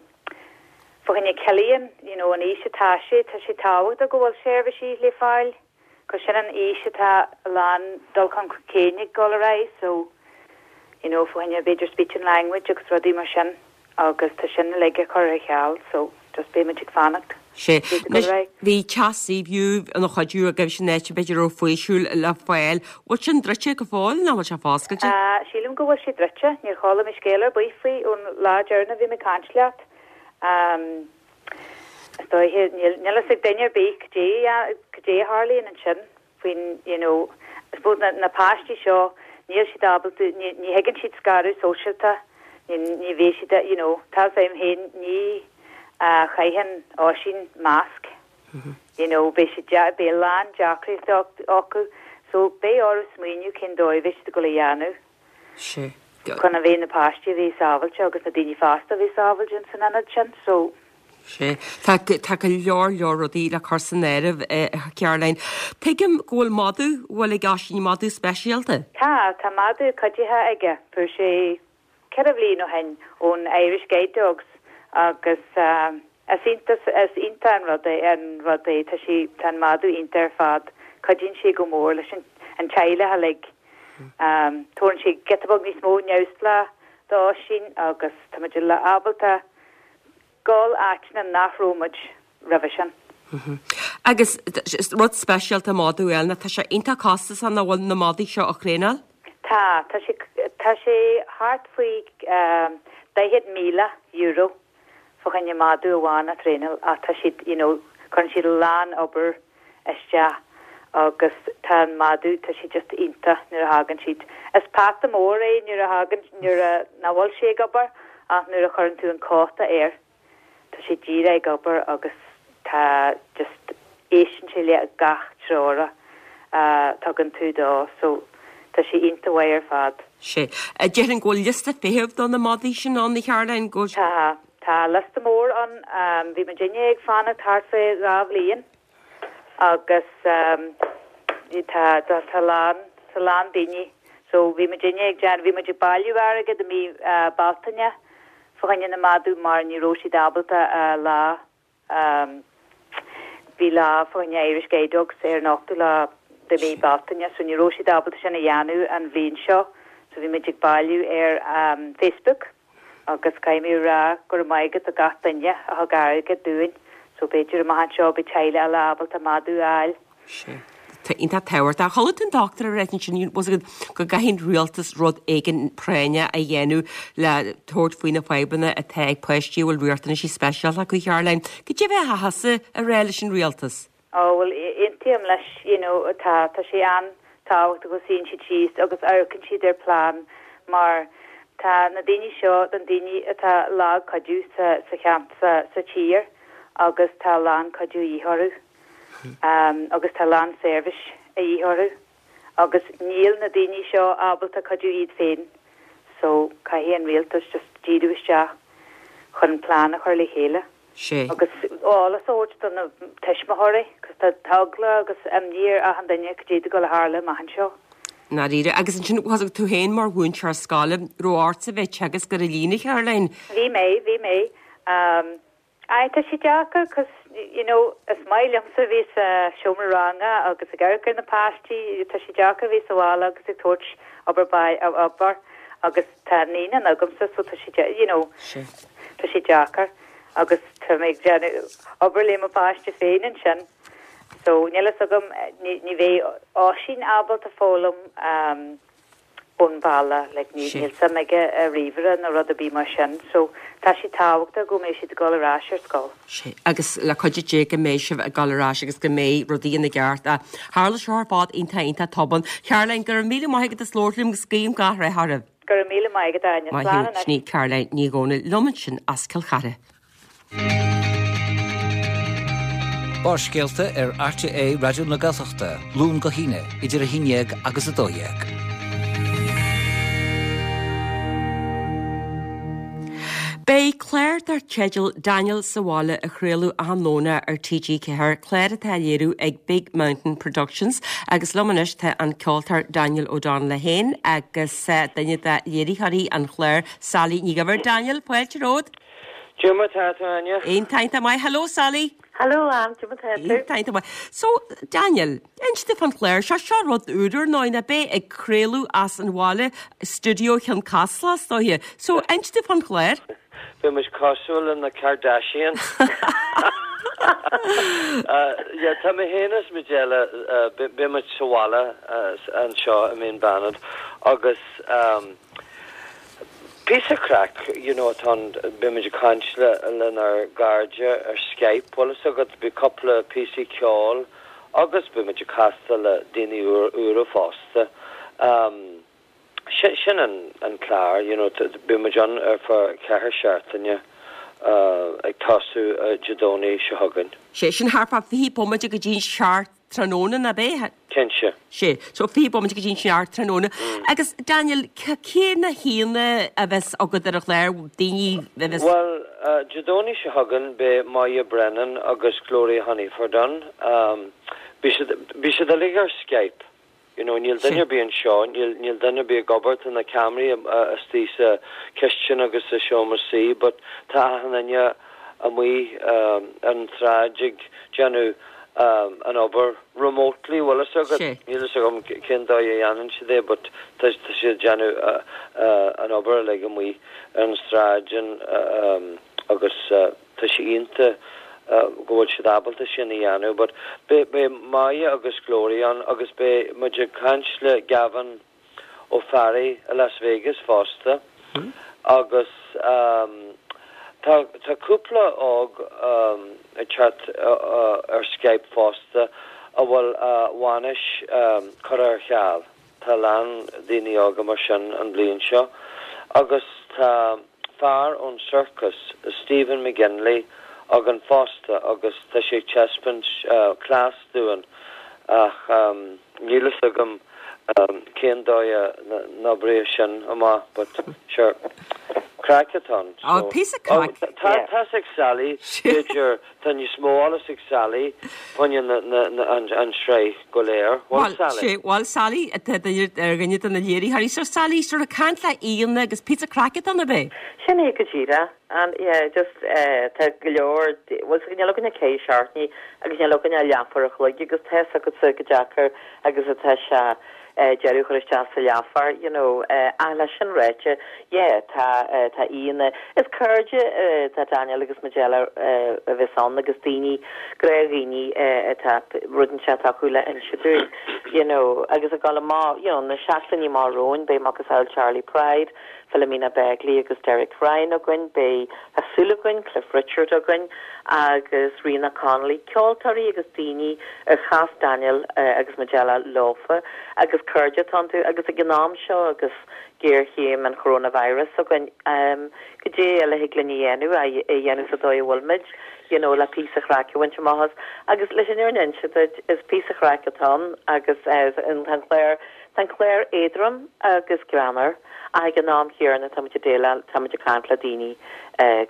fá choinne Cillian, you know, an aois atá sé, tá sé tábhachtach go bhfuil seirbhísí le fáil. 'Cause sin an aois atá a lán dul chun cinn ag dul ar aghaidh so you know fá choinne b'fhéidir speech and language agus rudaí mar sin agus tá sin uilig curtha ar ceal so just beidh muid ag fanacht Sea. Anois bhí teach Seaview ina chuidiú agaibh sin áit b'fhéidir a raibh faoiseamh le fáil. Bhfuil sin druidte go fóill nó bhfuil sé foscailte? Sílim go bhfuil sé druidte. Níor chuala mé scéal ar bith faoi ón lá deireanach a bhí mé ag caint leat. Is dóiche, níl a fhios ag duine ar bith cad é a tharlaíonn ansin faoin, you know, I suppose na, na páistí seo, níl siad ábalta, ní, ní thuigeann siad scaradh sóisialta, ní, ní bheidh siad, you know, tá a fhios agam féin, ní chaitheann Oisín masc, you know, beidh siad, beidh a lán deacrachtaí acu, so beidh orthu smaoineamh cén dóigh a bheidh siad ag dul a dhéanamh. Sea. Chun a bheith na páistí a bheith sábhailte agus na daoine fásta a bheith sábhailte ins an ionad sin so. Sea. Tá, tá go leor leor rudaí le cur san áireamh, a Charoline. Tuigim go bhfuil madadh, bhfuil ag Oisín madadh speisialta? Tá, tá madadh cuiditheach aige. Fuair sé ceithre bhliain ó shin ón Irish Guide Dogs agus is iontach, is iontach an rud é, an rud é. Tá sé, tá an madadh iontach ar fad. Cuidíonn sé go mór leis an, an teaghlach uilig. Tabharann sé giota beag níos mó neamhspleách d'Oisín agus tá muid ábalta dul áiteanna nach raibh muid roimhe sin. Agus rud speisialta madadh a fháil ná tá sé iontach costasach nach bhfuil na madaí seo a thraenáil? Tá, tá sé, tá sé thart faoi €40,000 fá choinne madadh amháin a thraenáil ach tá siad, you know, cuireann siad a lán obair isteach agus tá an madadh, tá sé just iontach nuair a thagann siad. Is peata mór é nuair a thagann, nuair a, nach bhfuil sé ag obair ach nuair a chuireann tú an cóta air, tá sé díreach ag obair agus tá just, éisteann sé le gach treoir a tugann tú dó so tá sé iontach mhaith ar fad. Sea. Déarfainn go bhfuil liosta feithimh do na madaí sin ann, a Charoline, go. Tá. Tá liosta mór ann. Bhí muidinne ag fanacht thart fé dhá bhliain agus tá tá a lán tá a lán daoine so bhí muidinne ag déanamh bhí muid ag bailiú airgead i mí Bealtaine fá choinne na madadh mar ní raibh siad ábalta lá Bhí lá fá choinne Irish Guide Dogs ar an ochtú lá de mhí Bealtaine so ní raibh siad ábalta sin a dhéanamh an bhliain seo so bhí muid ag bailiú ar Facebook agus caithfidh mé a rá go raibh maith agat do gach duine a thug airgead dúinn so b'fhéidir amach anseo beidh teaghlaigh eile ábalta madadh a fháil. Sea. Tá iontach tábhachtach. Chuala tú an dochtúir ag ráit ansin bhfuil a fhios agat go gcaithfidh an rialtas rud éigin práinneach a dhéanamh le tabhairt faoi na fadhbanna atá ag páistí a bhfuil riachtanaisí speisialta acu, Caroline. Cad é a bheifeá thusa a rá leis an rialtas? Ó, bhuel, aontaím leis, you know, tá, tá sé an-tábhachtach go suíonn siad síos agus amharcann siad ar plean mar tá na daoine seo, na daoine atá lag cuidiú sa, sa cheant, sa, sa tír agus tá a lán cuidiú a dhíth orthu. agus tá a lán seirbhís a dhíth orthu agus níl na daoine seo ábalta cuidiú iad féin so caithfidh an rialtas just díriú isteach chun plean a chur le chéile Sea. agus eolas a thabhairt do na tuismitheoirí cos tá eagla agus imní ar achan duine cad é atá ag dul a tharlú amach anseo. ndáiríre. Agus ansin, tú féin mar mhúinteoir scoile, raibh ortsa bheith ag teagasc ar líne, Caroline? Bhí mé, bhí mé. Aye, tá sé deacair 'cause you know is maith liomsa a bheith sa seomra ranga agus ag amharc ar na páistí, tá sé deacair a bheith sa bhaile agus ag tabhairt obair baile, obair agus tá naíonán agamsa so tá sé you know tá sé deacair agus tá mé ag déanamh obair le mo pháiste féin ansin so níl fhios agam ní ní bheidh Oisín ábalta foghlaim um ón bhaile, like ní, níl suim aige i ríomhaire nó rud ar bith mar sin, so tá sé tábhachtach go mbeidh siad ag dul ar ais ar scoil. Sea, agus le cuidiú Dé go mbeidh sibh ag dul ar ais agus go mbeidh rudaí ina gceart. Tharla seo ar fad iontach iontach tobann. Caroline, go raibh míle maith agat as labhairt liom agus guím gach rath oraibh. Go raibh míle maith agat, Áine. Maith Slán thú. anois. Sin í Caroline Ní Dhomhnaill liom ansin as Cill Chartha. Barrscéalta ar RTÉ Raidió na Gaeltachta, Luan go hAoine, idir 11 agus 12. Beidh clár dar teideal Daniel sa Bhaile á chraoladh achan Domhnach ar TG4, clár atá á léiriú ag Big Mountain Productions agus liom anois tá an ceoltóir Daniel O'Donnell é féin agus duine de léiritheoirí an chláir, Sally Ní Dhuibhir. Daniel, fáilte romhat. Cad é mar tá tú, Áine? Iontach, iontach maith. Hello Sally. Hello Anne, cad é mar tá tú? Iontach, iontach maith. So, Daniel, inis domh fán chlár seo, seo rud úr ar ndóigh, ná beidh ag craoladh as an bhaile, stiúideo Chionn Caslach is dóiche. So, inis domh fán chlár. Beidh muid cosúil le na Kardashians. Yeah, tá mé féin is Majella, beidh muid sa bhaile anseo i Mín Banad agus Píosa craic, you know, atá ann, beidh muid ag caint le lenár gcairde ar Skype, bhfuil fhios agat, beidh cúpla píosaí ceoil agus beidh muid ag castáil le daoine úra fosta. Sin an an clár, you know, beidh muid ann ar feadh cheithre seachtaine ag tosú Dé Domhnaigh seo chugainn. Sé sin thart fá 20 bomaite go dtí an seacht tráthnóna, ná beidh? Cinnte. Sé, so 20 bomaite go dtí an seacht tráthnóna. Agus Daniel, cé na haíonna a bheas agat ar an chlár, daoine a bheas. Bhuel, Dé Domhnaigh seo chugainn beidh Moya Brennan agus Gloria Honeyford ann. Beidh siad, beidh siad uilig ar Skype. You know, níl duine ar bith anseo, níl, níl duine ar bith ag obair, tá na ceamaraí istigh sa chistin agus sa seomra suí but tá achan duine amuigh ar an tsráid ag déanamh an obair remotely, bhfuil fhios agat? Níl fhios agam cén dóigh a dhéanann siad é but tá siad ag déanamh an obair uilig amuigh ar an tsráid agus tá sé iontach go bhfuil siad ábalta sin a dhéanamh but beidh Moya agus Gloria ann agus beidh muid ag caint le Gavin Ó Fearraigh i Las Vegas fosta agus tá tá cúpla óg ag teacht ar Skype fosta a bhfuil a bhainis curtha ar ceal. Tá a lán daoine óga mar sin an bhliain seo agus tá fear ón sorcas, Stephen McGinley, againn fosta agus tá sé ag taispeáint cleas dúinn ach níl fhios agam cén dóigh a n-oibreoidh sin amach but sure, craic atá ann. Oh, píosa craic. Tá fhios ag Sally, b'fhéidir, tá níos mó eolas ag Sally fá choinne an sraith go léir. Bhuel, Sally. Bhuel, Sally, tá duine ar dhuine de na léiritheoirí. So Sally, sort of caint le aíonna agus píosa craic atá ann, ab é? Sin é go díreach. And yeah, just eh, tá go leor, bhuel, níl againn ach ceithre seachtainí agus níl againn ach leathuair a chloig agus tá fhios agatsa chomh deacair agus atá sé eh, deireadh a chur isteach sa leathuair, you know, eh, ach leis sin ráite, yeah, tá eh, tá aíonna, is cairde eh, tá Daniel agus Majella eh, a bheas ann agus daoine, gnáthdhaoine eh, atá rud inteacht acu le inse dúinn, you know, agus ag dul amach, you know, na seachtainí amach romhainn, beidh macasamhail Charley Pride, Philomena Begley agus Derek Ryan againn, beidh, tá súil againn, Cliff Richard againn agus Ríona Connolly, ceoltóirí agus daoine ar chas Daniel agus Majella leofa agus cairde atá iontu agus ag an am seo agus géarchéim an choróinvíris againn, goidé eile a thig linn a dhéanamh, é a dhéanamh sa dóigh a bhfuil muid, you know, le píosa chraic a bhaint amach as. Agus leis an fhírinne a inse duit, is píosa chraic atá ann agus an clár, Tá an clár éadrom agus greannmhar, ach ag an am chéanna tá muid ag déileáil, tá muid ag caint le daoine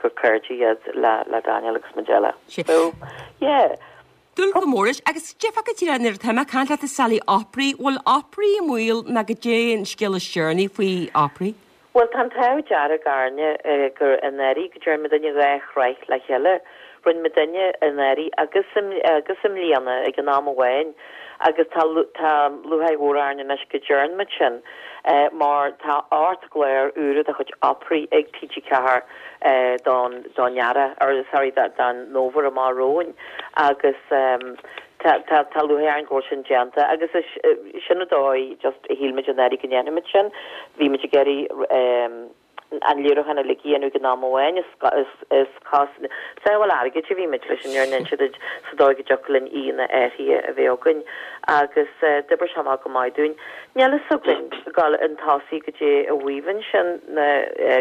gur cairde iad le Daniel agus Majella. So, yeah. Dúil go mór leis. Agus déarfá go díreach nuair atá mé ag caint leat a Sally, Opry, bhfuil Opry i mbaol nó goidé an scéal is deireanaí faoi Opry? Bhuel, tá an t-ádh dearg orainne gur anuraidh go dtearn muidinne dhá shraith le chéile. Rinne muidinne anuraidh agus agus i mbliana ag an am amháin agus tá tá lúcháir mhór orainn anois go dtearn muid sin mar tá ocht gclár úra de chuid Opry ag TG4 don don earrach or sorry don fhómhar amach romhainn agus Tá, tá, tá lúcháir orainn go bhfuil sin déanta agus is sin an dóigh just a shíl muid anuraidh go ndéanfaidh muid sin. Bhí muid ag iarraidh an léiriúchán uilig a dhéanamh ag an am amháin, is, is, is cás, sábháil airgid a bhí muid leis an fhírinne a inse duit sa dóigh go dtiocfadh linn aíonna áirithe a bheith againn agus d'oibrigh sé amach go maith dúinn. Níl fhios againn dul chun tosaigh goidé a mhaíomh ansin na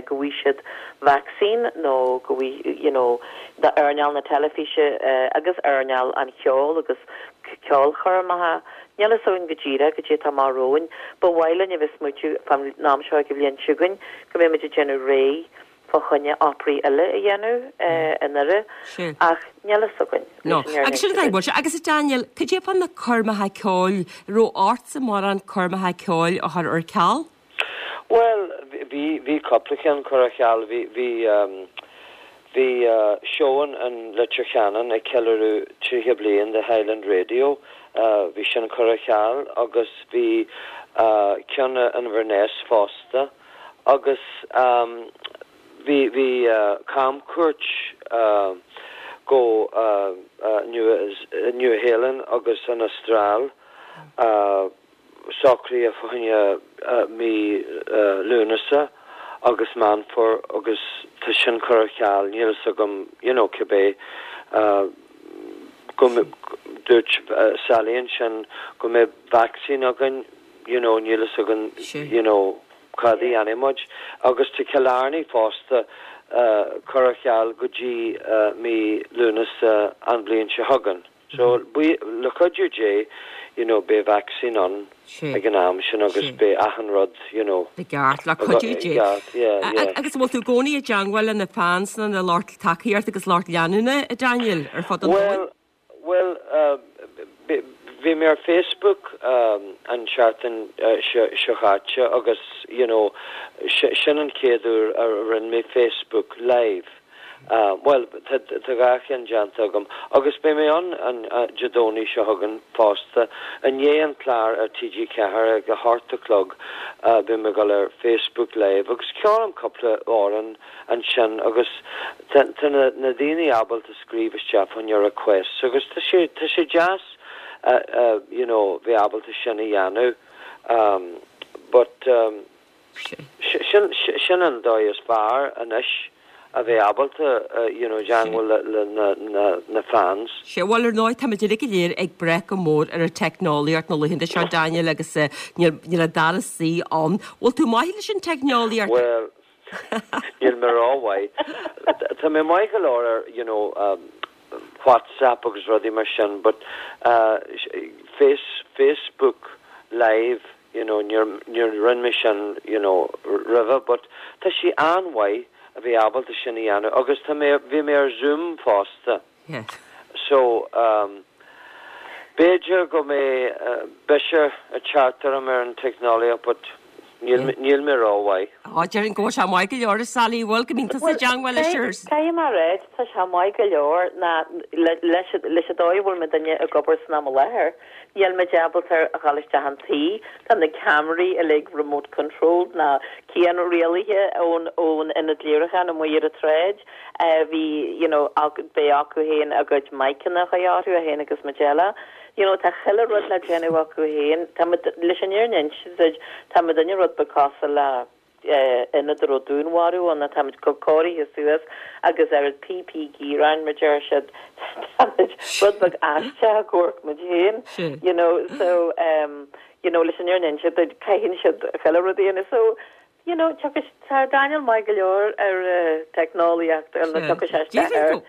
go bhfaighidh siad vacsaín nó go bhfaighidh, you know, d'earnáil na teilifíse agus earnáil an cheoil agus ceolchoirmeacha. Níl fhios againn go díreach goidé atá amach romhainn. Ba mhaith linn a bheith ag smaoitiú fán am seo ag an bhliain seo chugainn go mbeidh muid ag déanamh réidh. fá choinne operaí eile a dhéanamh i nDoire ach níl fhios againn No. Agus sin an bhfuil sé. Agus a Daniel, cad é fá na coirmeacha ceoil, raibh ortsa mórán coirmeacha ceoil a chur ar ceal? Bhuel, bhí, bhí cúpla ceann curtha ar ceal. Bhí, bhí, bhí seó in Leitir Ceanainn ag ceiliúradh 30 bliain de Highland Radio, bhí sin curtha ar ceal agus bhí ceann in Inverness fosta agus bhí, bhí camchuairt go Nua-Shéalainn agus an Astráil. socraithe fá choinne mí Lúnasa agus Meán Fómhair agus tá sin curtha ar ceal, níl fhios agam you know cibé go dúirt Sally ansin go mbeidh vaccine againn you know níl fhios againn you know cad a dhéanfaidh muid agus tá Cill Airne fosta curtha ar ceal go dtí mí Lúnasa an bhliain seo chugainn. So, le cuidiú Dé, you know, beidh vaccine ann ag an am sin agus beidh achan rud, you know. I gceart, le cuidiú Dé. I gceart, yeah, yeah. Agus an bhfuil tú i gcónaí i dteangmháil le na fans nó na lucht tacaíochta agus lucht leanúna, a Daniel, ar fud an domhain? Bhuel, bhuel, bhí mé ar Facebook an tseachtain seo chaite agus, you know, sin an chéad uair a rinne mé Facebook live. Bhuel, tá dhá cheann déanta agam agus beidh mé ann Dé Domhnaigh seo chugainn fosta. I ndiaidh an clár ar TG4 ag a hocht a chlog beidh mé ag dul ar Facebook Live agus ceolfaidh mé cúpla amhrán ansin agus tá na daoine ábalta scríobh isteach fá choinne requests agus tá sé tá sé deas you know bheith ábalta sin a dhéanamh but Sin an dóigh is fearr anois a bheith ábalta you know teangmháil le na fans. Sea, bhuel ar ndóigh táimid uilig go léir ag brath go mór ar an teicneolaíocht na laethanta seo Daniel agus níl an dara suí ann. Bhfuil tú maith leis an teicneolaíocht? Bhuel, níl mé rómhaith. Tá mé maith go leor ar you know WhatsApp agus rudaí mar sin but face Facebook live you know níor níor rinne mé sin you know roimhe but tá sé an-mhaith a bheith ábalta sin a dhéanamh agus tá mé bhí mé ar Zoom fosta yeah so um b'fhéidir go mbeidh biseach ag teacht orm ar an teicneolaíocht but níl níl mé rómhaith. Á déarfainn go bhfuil sé maith go leor a Sally bhfuil go mbíonn tusa i dteangmháil leis ar Caithfidh mé a rá tá sé maith go leor ná leis leis an dóigh a bhfuil muidinne ag obair san am i láthair Níl muid ábalta a dhul isteach an tí, tá na ceamaraí uilig remote controlled nó cianrialaithe ón ón ionad léiriúcháin amuigh ar an tsráid. Bhí you know beidh acu féin a gcuid miceanna a chur orthu, é féin agus Majella. You know tá chuile rud le déanamh acu féin. Tá muid, leis an fhírinne a inse duit, tá muidinne rud beag cosúil le ionad a raibh dúnmharú ann, táimid chomh cóirithe suas agus oiread PP gear orainn, mar deir siad, táimid rud beag aisteach ag amharc muid féin, you know, so, um, you know, leis an fhírinne a inse duit, caitheann siad chuile rud a dhéanamh, so, you know, tiocfaidh, tá Daniel maith go leor ar teicneolaíocht, ar na tiocfaidh sé isteach air.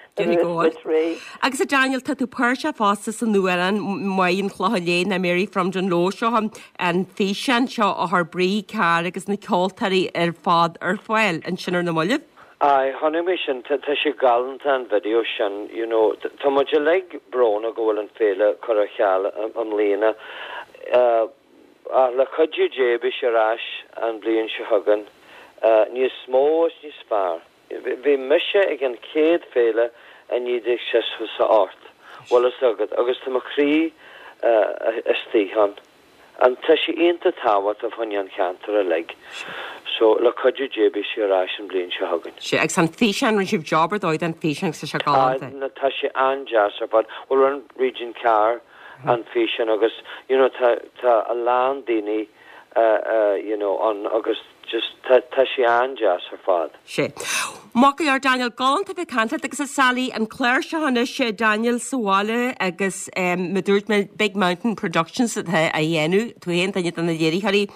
Agus a Daniel, tá tú páirteach fosta san amhrán Máire an Chlocháin Léith nó Mary from Dungloe seo an físeán seo a chuir Brí Carr agus na ceoltóirí ar fad ar fáil ansin ar na mallaibh. Aye, chonaic mé sin, tá sé galánta an video sin, you know, tá muid uilig brónach go bhfuil an féile curtha ar ceal i mbliana, ach le cuidiú Dé beidh sé ar ais an bhliain seo chugainn, níos mó is níos fearr. Bhí mise ag an chéad féile i 1968, bhfuil fhios agat, agus tá mo chroí istigh ann. And tá sé iontach tábhachtach fá choinne an cheantair uilig. So, le cuidiú Dé beidh sé ar ais an bhliain seo chugainn. Sea, agus an físeán, rinne sibh job ar dóigh den físeán agus tá sé galánta. Ah, tá sé an-deas ar fad. Bhuel, rinne Brídín Carr an físeán agus, you know, tá, tá a lán daoine, you know, ann agus just tá, tá sé an-deas ar fad. Sea. Maith go leor Daniel, galánta bheith ag caint leat agus a Sally, an clár seo anois Daniel sa bhaile agus mar a dúirt mé Big Mountain Productions atá á dhéanamh, tú féin duine de na léiritheoirí.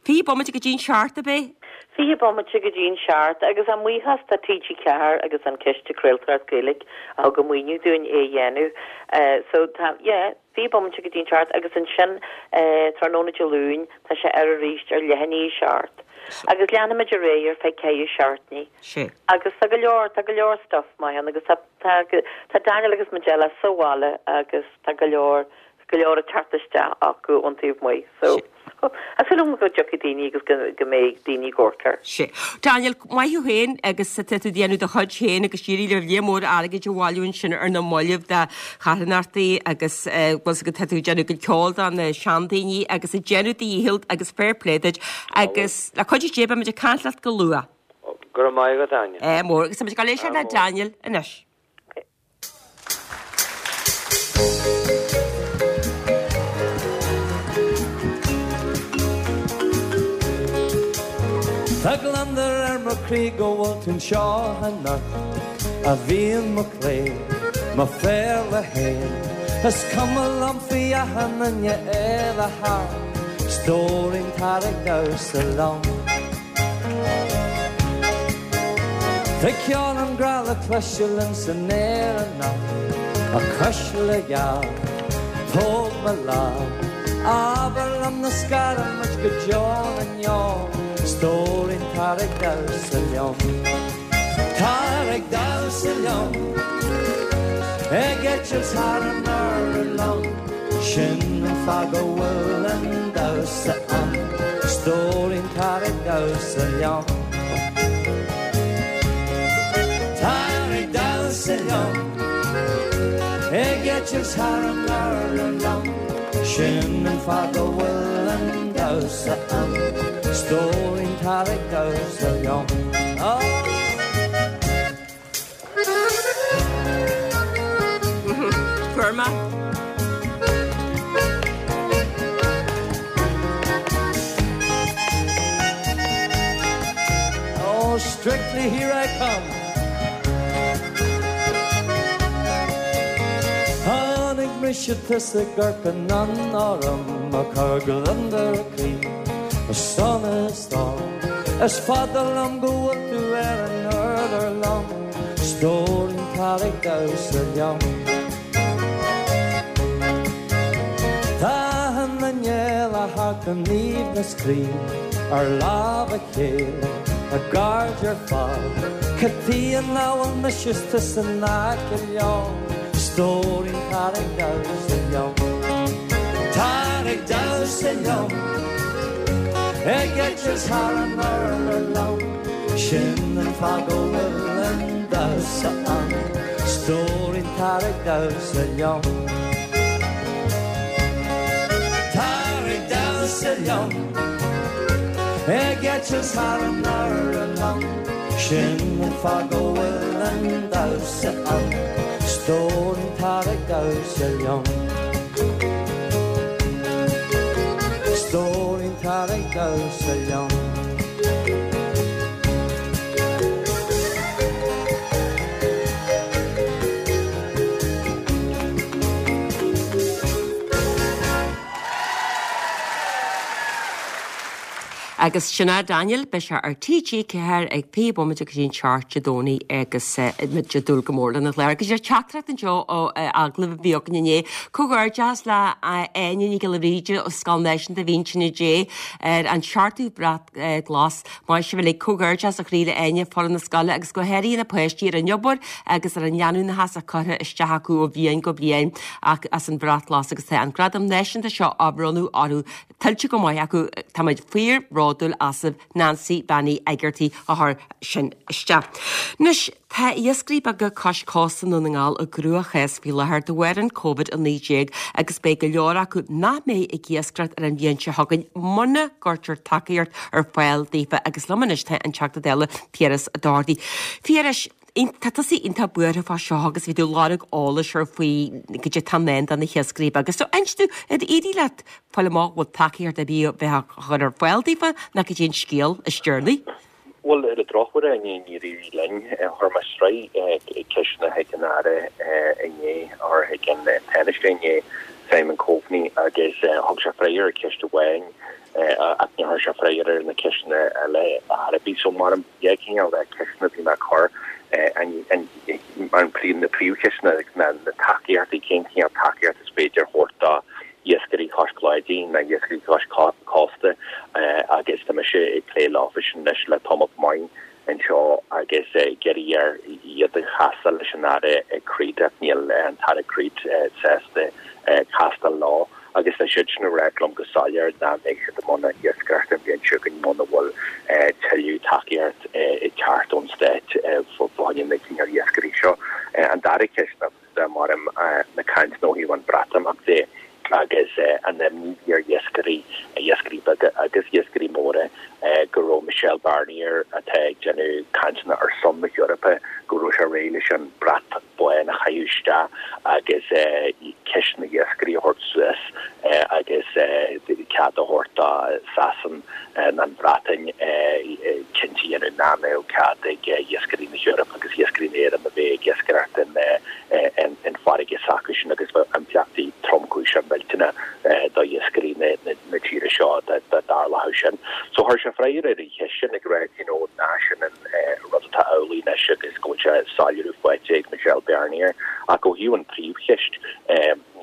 20 bomaite go dtí'n seacht ab é? 20 bomaite go dtí'n seacht agus ár mbuíochas do TG4 agus an Ciste Craoltóireacht Gaeilge a thug an maoiniú dúinn é a dhéanamh. So tá, yeah, 20 bomaite go dtí'n seacht agus ansin tráthnóna Dé Luain tá sé ar arís ar leath i ndiaidh a seacht. Agus leanfaimid ar aghaidh ar feadh ceithre seachtainí. Sea. Agus tá go leor, tá go leor stuff maith ann agus tá, tá, tá Daniel agus Majella sa bhaile agus tá go leor, go leor ag teacht isteach acu ón taobh amuigh. So. Tá súil agam go dtiocfaidh daoine agus go mbeidh daoine ag amharc air. Sea. Daniel, maith thú féin agus tá tú ag déanamh do chuid féin agus d'éirigh libh lear mór airgid a bhailiú ansin ar na mallaibh do charthanachtaí agus bhfuil 's agat tá tú ag déanamh go ceol do na seandaoine agus ag déanamh do dhícheall agus fair play duit agus le cuidiú Dé beimid ag caint leat go luath. Go raibh maith agat, Áine. Ádh mór agus táimid ag dul éisteacht le Daniel anois. Tá gliondar ar mo chroí go bhfuil tú anseo anocht, a mhian mo chroí, mo phéarla fhéin. Is cuma liom faoi achan duine eile thart, stóirín tar ag damhsa liom. Tá ceol an ghrá le cloisteáil ins an aer anocht, a chuisle gheal, tóg mo lámh, abair liom nach scarfaidh muid go deo na ndeor, stóirín tar ag damhsa liom. Tar ag damhsa liom, ag eitilt thar an urlár liom, sin an fáth go bhfuil an damhsa ann, stóirín tar ag damhsa liom. Tar ag damhsa liom, ag eitilt thar an urlár liom, sin an fáth go bhfuil an damhsa ann, stóirín tar ag damhsa liom. Fuair mé. Oh, strictly here I come. Chonaic mise tusa ag amharc anonn orm ag cur gliondar croí, sonas dom. Is fada liom go bhfuil tú ar an urlár liom, stóirín tar ag damhsa liom. Tá achan duine eile thart in aoibhneas croí ar lámh a chéile, a gcairde ar fad. Cad chuige nach bhfuil mise is tusa in aice leo, stóirín tar ag damhsa liom. Tar ag damhsa liom. Ag eitilt thar an urlár liom, sin an fáth go bhfuil an damhsa ann, stóirín tar ag damhsa liom. Tar ag damhsa liom, ag eitilt thar an urlár liom, sin an fáth go bhfuil an damhsa ann, stóirín tar ag damhsa liom. Stóirín tar ag damhsa liom. Agus sin é Daniel, beidh sé ar TG4 ag 20 bomaite go dtí an seacht Dé Domhnaigh agus muid ag dúil go mór lena chlár. Agus ar teachtaireacht anseo ó agallamh a bhí againn inné, comhghairdeas le Áine Nic Giolla Bhríde ó Scoil Náisiúnta Mhín Tine Dé ar an seachtú brat glas. Maith sibh uilig, comhghairdeas ó chroí le Áine, foireann na scoile agus go háirithe na páistí ar an obair agus ar an leanúnachas atá curtha isteach acu ó bhliain go bliain as an bhrat glas agus tá an gradam náisiúnta seo á bhronnadh orthu Tuillte go maith acu, táimid fíor-bhródúil asaibh, Nancy Bean Uí Eigeartaigh a chuir sin isteach. Anois, tá iascairí beaga cois cósta i nDún na nGall i gcruachás faoi láthair de bharr an Covid-19 agus beidh go leor acu nach mbeidh ag iascaireacht ar an bhliain seo chugainn muna gcuirtear tacaíocht ar fáil daofa agus liom anois tá an Teachta Dála Piaras Ó Dochartaigh. Phiarais, Tá tusa iontach buartha fá seo agus bhí tú ag lorg eolais ar faoi goidé atá i ndán do na hiascairí beaga. So inis domh, ar éirigh leat fáil amach bhfuil tacaíocht ar bith a bheith á chur ar fáil daofa nó goidé an scéal is deireanaí? Bhuel, ar an drochuair, níor éirigh linn. Chuir mé sraith ceisteanna chuig an Aire inné, or chuig an Tánaiste inné. Simon Coveney agus thug sé freagra ar cheist amháin ach níor chuir sé freagra ar na ceisteanna eile ar bith. So mar an dhá chineál de cheisteanna a bhí mé a chur, an na príomhcheisteanna ná na tacaíochtaí, cén cineál tacaíocht is féidir a thabhairt do iascairí cois cladaí nó iascairí cois cósta agus tá mise ag plé leofa sin anois le tamall maith anseo agus ag iarraidh air iad a chastáil leis an Aire Creed ach níl an tAire Creed sásta castáil leo agus tá siad sin ag ráit liom go soiléir nach mbeidh siad i mbun iascaireachta an bhliain seo chugainn muna bhfuil tuilleadh tacaíocht ag teacht ón Stát fá choinne na cineál iascairí seo. An dara ceist ná maram na cainteanna ó thaobh an Bhreatimeacht de agus an imní a bhí ar iascairí, iascairí beaga agus iascairí móra, go raibh Michel Barnier, atá ag déanamh cainteanna ar son na hEorpa, go raibh sé réidh leis an brat bán a chaitheamh isteach agus ceist na n-iascairí a thabhairt suas agus cead a thabhairt do Sasain nó an Bhreatain cinnte a dhéanamh nach mbeadh cead ag iascairí na hEorpa agus iascairí na hÉireann a bheith ag iascaireacht in farraige s'acusan agus bheadh impleachtaí tromchúiseacha millteanacha do iascairí na tíre seo dá dtarlódh sin. So chuir sé freagra ar an cheist sin ag rá you know nach sin an rud atá amhlaidh anois agus go bhfuil sé soiléiriú faighte ag Michel Barnier ach ó thaobh an príomhcheist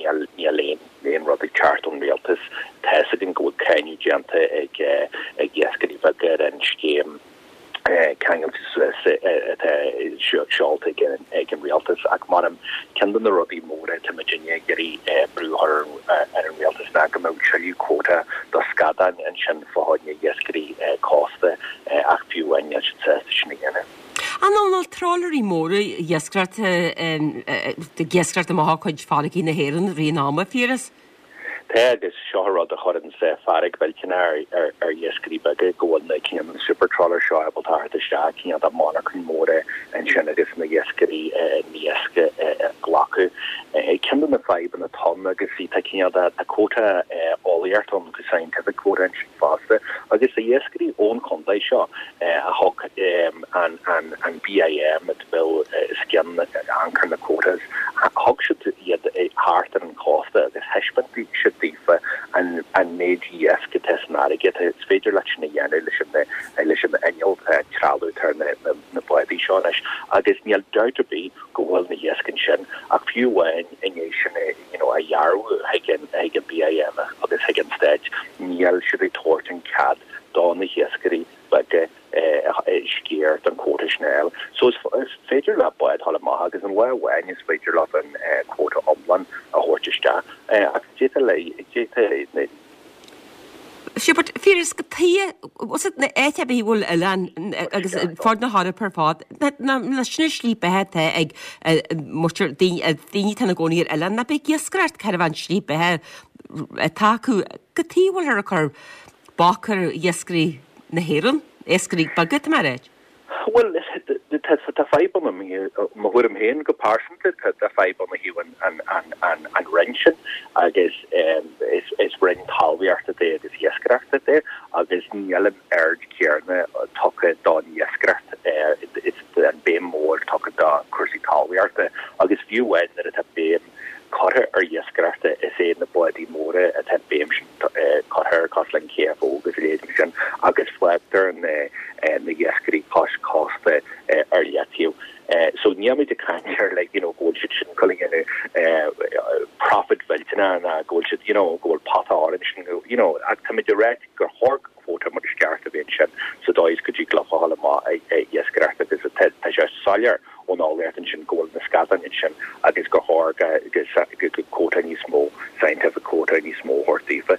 níl níl aon aon rud ag teacht ón rialtas. Tá's againn go bhfuil cáineadh déanta ag ag iascairí beaga ar an scéim ceangailte suas atá seolta ag an rialtas ach maram ceann de na rudaí móra atá muidinne ag iarraidh brú a chur ar an rialtas ná go mbeadh tuilleadh quota do scadáin ansin fá choinne iascairí cósta ach fiú amháin níl siad sásta sin a dhéanamh. An bhfuil trawleraí móra iascaireachta ag iascaireacht amach ó chuid farraigí na hÉireann i rith an ama, Phiaras? Tá, agus seo an rud a chuireann fearg mhillteanach ar iascairí beaga, go bhfuil na cineál na super trawlers seo ábalta a theacht isteach, cineál de monarchain mhóra ansin agus na hiascairí na hiasc a ghlacadh. Ceann de na fadhbanna atá ann agus tá cineál de tá quota eolaíocht ann, scientific quota ansin fosta, agus tá iascairí ón chontae seo a thug an BIM, bhfuil os cionn anchor na quotas. Thug siad iad thart ar an chósta agus thaispeáin siad daofa an méid iasc atá san fharraige. Is féidir leat sin a dhéanamh leis an leis an inneall, an trealamh atá ar na bádaí seo anois. Agus níl dabht ar bith go bhfuil na hiasc ansin ach fiú amháin i ndiaidh sin you know a dhearbhú chuig an chuig an BIM agus chuig an Stát, níl siad ag tabhairt an cead do na hiascairí beaga sciar den quota sin a fháil. So is féidir le bád dhul amach agus in lá amháin is féidir leo an quota iomlán a thabhairt isteach. Ach d'fhéadfadh le, d'fhéadfadh na. Sea, but Phiaras, cad chuige, was it na áit ar bith a bhfuil oileán agus fud na hEorpa ar fad, na, na, sin an slí beatha atá ag muintir, daoine, daoine atá ina gcónaí ar oileán, nach bith ag iascaireacht, cad é an slí beatha atá acu, cad chuige a bhfuilthear ag cur bac ar iascairí na hÉireann, iascairí beaga, tá mé a ráit. Bhuel, tá fadhb ann, i mo thuairim féin go pearsanta, tá fadhb ann ó thaobh an roinn sin agus is roinn talmhaíochta é agus iascaireachta é agus níl an aird chéanna tugtha don iascaireacht, is an béim mór tugtha do chúrsaí talmhaíochta agus fiú amháin nuair atá béim curtha ar iascaireacht, is é na bádaí móra atá an béim sin curtha air, cosúil le an KFO agus a leithéid mar sin, agus fágtar na hiascairí cois cósta ar leataobh. So níl muid ag caint ar like you know go bhfuil siad sin ag dul a dhéanamh profit mhillteanach ná go bhfuil siad you know go bhfuil pota orange sin you know ach táimid ag ráit gur chóir quota mar is ceart a bheith ansin sa dóigh is go dtig leo a ghabháil amach ag iascaireacht agus tá sé soiléir ón eolaíocht ansin go bhfuil na scadáin ansin agus gur chóir go quota níos mó, scientific quota níos mó a thabhairt daofa.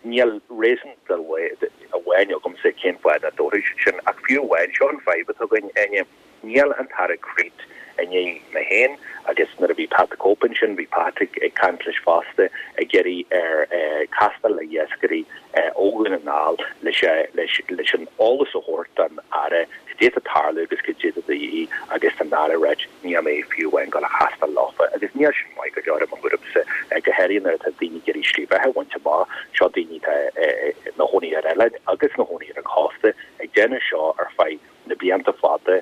Níl réasún amháin agamsa cén fáth nach dtabharfaidh siad sin ach fiú amháin, seo an fadhb atá againn, Áine. Níl an tAire Creed i ndiaidh mé féin agus nuair a bhí Pat the Cope ansin, bhí Pat ag caint leis fosta, ag iarraidh air castáil le iascairí ó Dhún na nGall leis leis an eolas a thabhairt don Aire cad é atá ag tarlú agus cad é atá de dhíth agus tá an tAire ag ráit níl mé fiú amháin ag dul a chastáil leofa agus níl sin maith go leor i mo thuairimse, go háirithe nuair atá daoine ag iarraidh slí bheatha a bhaint amach, seo daoine atá ina chónaí ar oileáin agus ina chónaí ar an chósta ag déanamh seo ar feadh na blianta fada,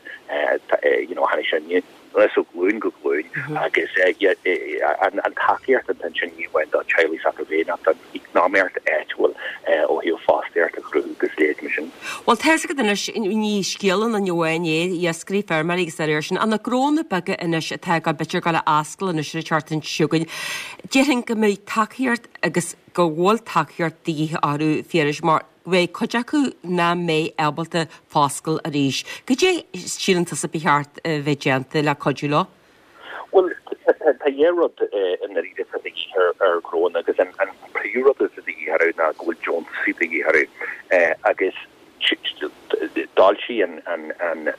you know, tháinig sé. Ó ghlúin go glúin agus an tacaíocht atá ansin ní amháin do teaghlaigh s'acu féin ach don eacnamaíocht áitiúil ó thaobh fostaíocht a chruthú agus a leithéid mar sin. Bhuel, tá fhios agat anois, ní scéal aon duine amháin é, iascairí, feirmeoirí agus dá réir sin, ach na gnónna beaga anois atá ag dul, b'fhéidir ag dul a oscailt anois ar an tseachtain seo chugainn, déarfainn go mbeidh tacaíocht agus go bhfuil tacaíocht de dhíth orthu, Phiarais, mar go mbeidh cuid acu nach mbeidh ábalta foscailt arís. Cad é síleann tusa ba cheart a bheith déanta le cuidiú leo? Bhuel, tá dhá rud i ndáiríre atá de dhíth ar ghnónna agus an príomhrud atá de dhíth orthu ná go bhfuil deontasaí de dhíth orthu agus d'fhoilsigh an,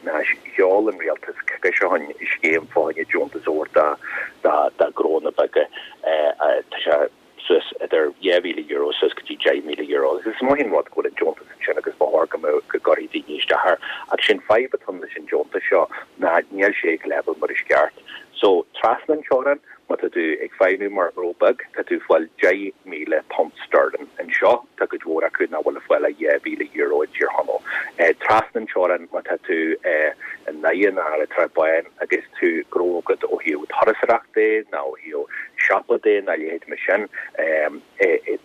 ná sheol an rialtas coicís ó shin scéim fá choinne deontas a thabhairt do ghnónna beaga. Tá sé suas idir €2,000 suas go dtí €10,000 agus is maith an rud go bhfuil an deontas ansin agus ba chóir go mbeadh, go gcuirfidh daoine isteach air ach sé'n fadhb atá ann leis an deontas seo ná níl sé ag leibhéal mar is ceart. So, trasna an teorainn, má tá tú ag feidhmiú mar ghnó beag, tá tú ag fáil £10,000 sterling. Anseo, tá cuid mhór acu nach bhfuil ag fáil ach €2,000 i dTír Chonaill. Trasna an teorainn, má tá tú i nDoire nó ar an Srath Bán agus tú gnó agat ó thaobh turasóireacht de nó ó thaobh siopa de nó a leithéid mar sin,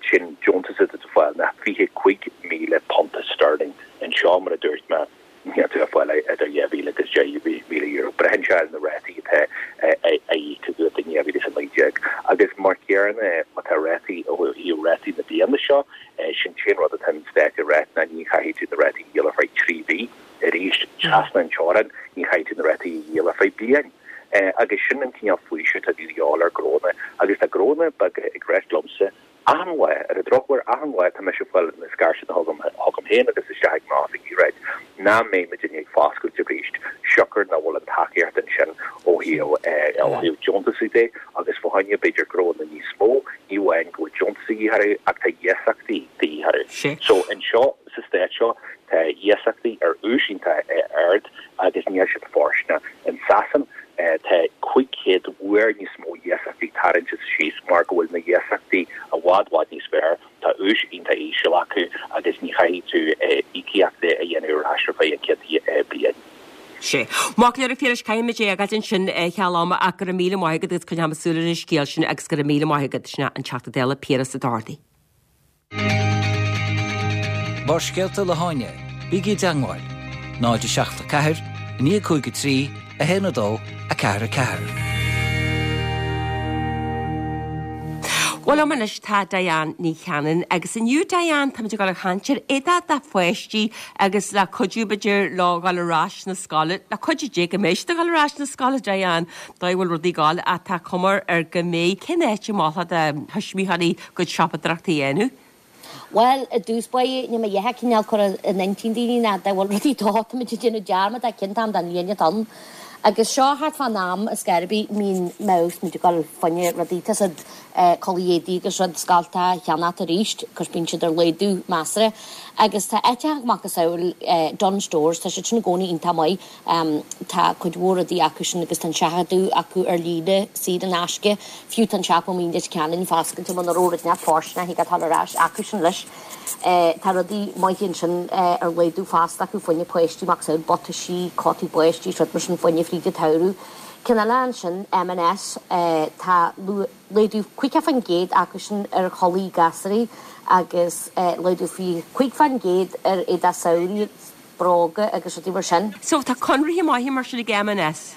sin deontas atá tú ag fáil ná £25,000 sterling. Anseo, mar a dúirt mé, níl tú ag fáil idir 2,000 agus €10,000. Braitheann sé ar na rátaí atá á íoc agat in 2019. Agus mar chéanna, má tá rátaí, ó thaobh rátaí na bliana seo, sin t-aon rud atá an Stát ag ráit ná ní chaithfidh tú na rátaí a dhíol ar feadh 3 mhí. Arís, trasna an teorainn, ní chaithfidh tú na rátaí a dhíol ar feadh bliain. Agus sin an cineál faoiseamh atá de dhíobháil ar gnónna. Agus tá gnónna beaga ag ráit liomsa achan lá, ar an drochuair, achan lá tá mise ag fáil na scairteanna chugam, chugam féin agus isteach ag m'oifig ag ráit nach mbeidh muidinne ag foscailt arís siocair nach bhfuil an tacaíocht ansin ó thaobh, ó thaobh deontasaí de agus fá choinne b'fhéidir gnónna níos mó, ní amháin go bhfuil deontas de dhíth orthu ach tá iasachtaí de dhíth orthu. So anseo Sa stát seo, tá iasachtaí ar ús iontach ard agus níl siad fóirsteanach. In Sasain, tá 500 uair níos mó iasachtaí tarraingte síos mar go bhfuil na hiasachtaí i bhfad bhfad níos fearr, tá ús iontach íseal acu agus ní chaithfidh tú íocaíocht a dhéanamh ar ais ar feadh an chéad bliain. Sea. Maith go leor a Phiarais, caithfimid é a fhágáilt ansin cheal ama ach go raibh míle maith agat agus coinneoidh muid súil ar an scéal sin agus go raibh míle maith agat. Sin é an Teachta Dála Piaras Ó Dochartaigh. Barrscéalta le hÁine, bígí i dteangmháil, 0 7 4 9 5 3 1 2 4 4. Bhuel liom anois tá Diane Ní Chanainn agus inniu Diane táimid ag dul a chaint ar éadach do pháistí agus le cuidiú b'fhéidir leo dhul ar ais na scoile, le cuidiú Dé go mbeidh siad ag dul ar ais na scoile Diane, dóigh a bhfuil rudaí ag dul ach tá cuma ar go mbeidh. Cén áit a mholfá do thuismitheoirí gcuid siopadóireachta a dhéanamh. Bhuel, i dtús báire, níl mé a dhath cineál cur in intinn daoine ná dá bhfuil rudaí dó, táimid ag déanamh dearmad de cén t-am den bhliain atá ann. Agus seo thart fán am ar scor ar bith, mbíonn mouse, muid ag dul fá choinne rudaí, tá siad culaith éadaí agus rud scolta a cheannacht arís, cos bíonn siad ar laghdú measartha. Agus tá áiteacha macasamhail Dunnes Stores, tá siad sin i gcónaí iontach maith. Tá cuid mhór rudaí acu sin agus tá an seachadadh acu ar líne saor in aisce. Fiú tá an siopa amuigh i Leitir Ceanainn foscailte muna raibh rud inteacht fóirsteanach ag dul ar ais acu sin leis. Tá rudaí maithe ansin ar laghdú fosta acu fá choinne páistí, macasamhail butaisí, cótaí báistí is rud mar sin fá choinne fríd an tsamhradh. Ceann eile ansin, M&S, tá laghdú 50% acu sin ar chulaith gasúraí agus laghdú 25% ar éadach samhraidh. bróga agus rudaí mar sin. So tá conarthaí maithe mar sin ag M&S?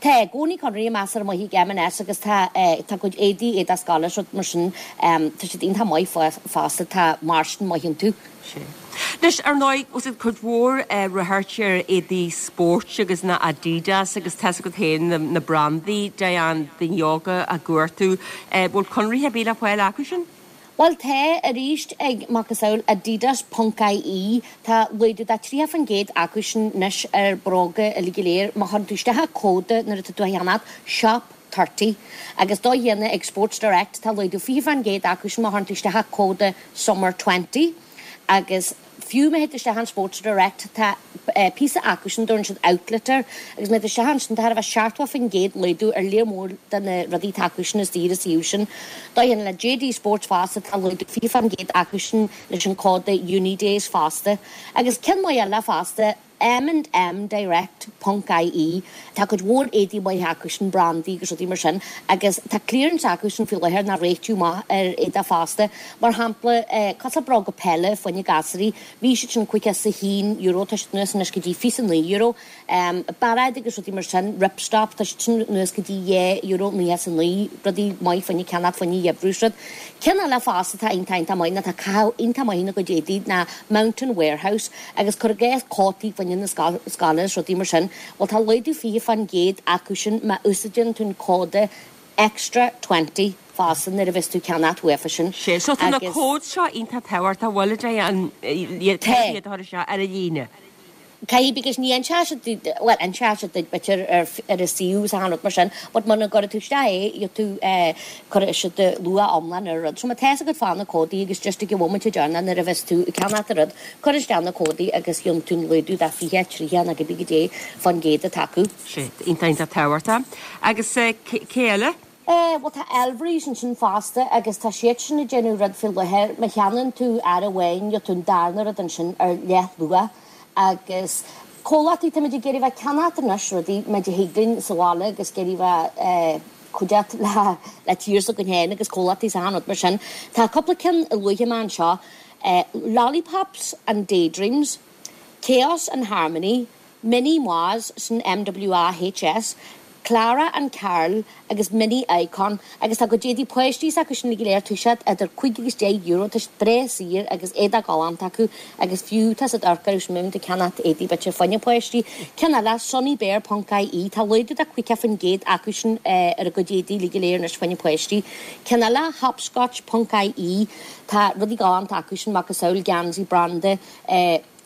Tá i gcónaí conarthaí measartha maithe ag M&S agus tá tá a gcuid éadaí, éadach scoile is rud mar sin, tá siad iontach maith fosta, tá margin maith iontu. Sea. Anois, ar ndóigh, os cionn cuid mhór ráchairt ar éadaí spóirt agus na Adidas agus tá's agat féin na brandaí, Diane, daoine óga á gcuartú. Bhfuil conarthaí ar bith le fáil acu sin? Bhuel tá, arís ag macasamhail Adidas ponc IE, tá laghdú de 30% acu sin anois ar bróga uilig go léir má chuireann tú isteach an cód nuair atá tú á cheannacht, shop 30. Agus dóigh chéanna ag Sports Direct tá laghdú 20% acu sin má chuireann tú isteach an cód summer 20. Agus. Fiú má théid tú isteach an Sports Direct tá píosa acu sin, dtabharann siad outlet air, agus má théid tú isteach ansin tá thar a bheith 70% laghdú ar léar mór de na rudaí atá acu sin istigh ar an suíomh sin. Dóigh chéanna le JD Sports fosta tá laghdú 20% acu sin leis an cód UNiDAYS fosta. Agus ceann maith eile fosta. M and M Direct ponc IE, tá cuid mhór éadaí maithe acu sin, brandaí agus rudaí mar sin, agus tá clearance acu sin faoi láthair ná réitiú maith ar éadach fosta. Mar shampla, cosúil bróga peile fá choinne gasúraí, bhí siad sin €51, tá siad anuas anois go dtí €29. Bairéid agus rudaí mar sin, ripstop, tá siad sin anuas go dtí €2.99, rudaí maith fá choinne ceannacht fá choinne gheimhreadh is rud. Ceann eile fosta atá iontach iontach maith ná tá caitheamh iontach maith ina gcuid éadaí ná Mountain Warehouse agus cuir i gcás cótaí fá choinne na scoile is rudaí mar sin, bhuel tá laghdú 20% acu sin má úsáideann tú an códa extra 20 fosta nuair a bheas tú ag ceannacht uafa sin. Sea, so tá na codes seo iontach tábhachtach, bhfuil a Diane, iad a chur isteach ar an líne. Caithfidh because ní inseoidh siad duit, bhuel inseoidh siad duit b'fhéidir ar ar an suíomh is achan rud mar sin but muna gcuirfidh tú isteach é gheobhaidh tú eh cuirfidh siad do luach iomlán ar an rud. So má tá fhios agat fá na códaí agus just ag an bhomaite deireanach nuair a bheas tú ag ceannacht an rud, cuir isteach na códaí agus gheobhaidh tú an laghdú de 20, 30 nó cibé goidé fán gcéad atá acu. Sea, iontach iontach tábhachtach. Agus eh cé eile? Eh, bhuel tá Elvery's ansin fosta agus tá siad sin ag déanamh rud faoi láthair, má cheannaíonn tú earra amháin gheobhaidh tú an darna rud ansin ar leathluach agus comhlachtaí, táimid ag iarraidh bheith ag ceannacht anois rudaí mar a thig linn sa bhaile agus ag iarraidh bheith eh cuideachta le le tír s'againn féin agus comhlachtaí is achan rud mar sin. Tá cúpla ceann a luafaidh mé anseo, eh Lollipops and Daydreams, Chaos and Harmony, Mini Mwahs, sin MWAHS, Clara and Carl agus Mini Icon agus tá a gcuid éadaí páistí s'acu sin go léir, tá siad idir 5 agus 10 euro, tá siad breá saor agus éadach galánta acu agus fiú tá siad amharc orthu sin má bhíonn tú ag ceannacht éadaí b'fhéidir fá choinne páistí. Ceann eile, Sunnybear ponc IE, tá laghdú de 50% acu sin ar a gcuid éadaí uilig go léir anois fá choinne páistí. Ceann eile, Hopscotch ponc IE, tá rudaí galánta acu sin, macasamhail geansaí branda,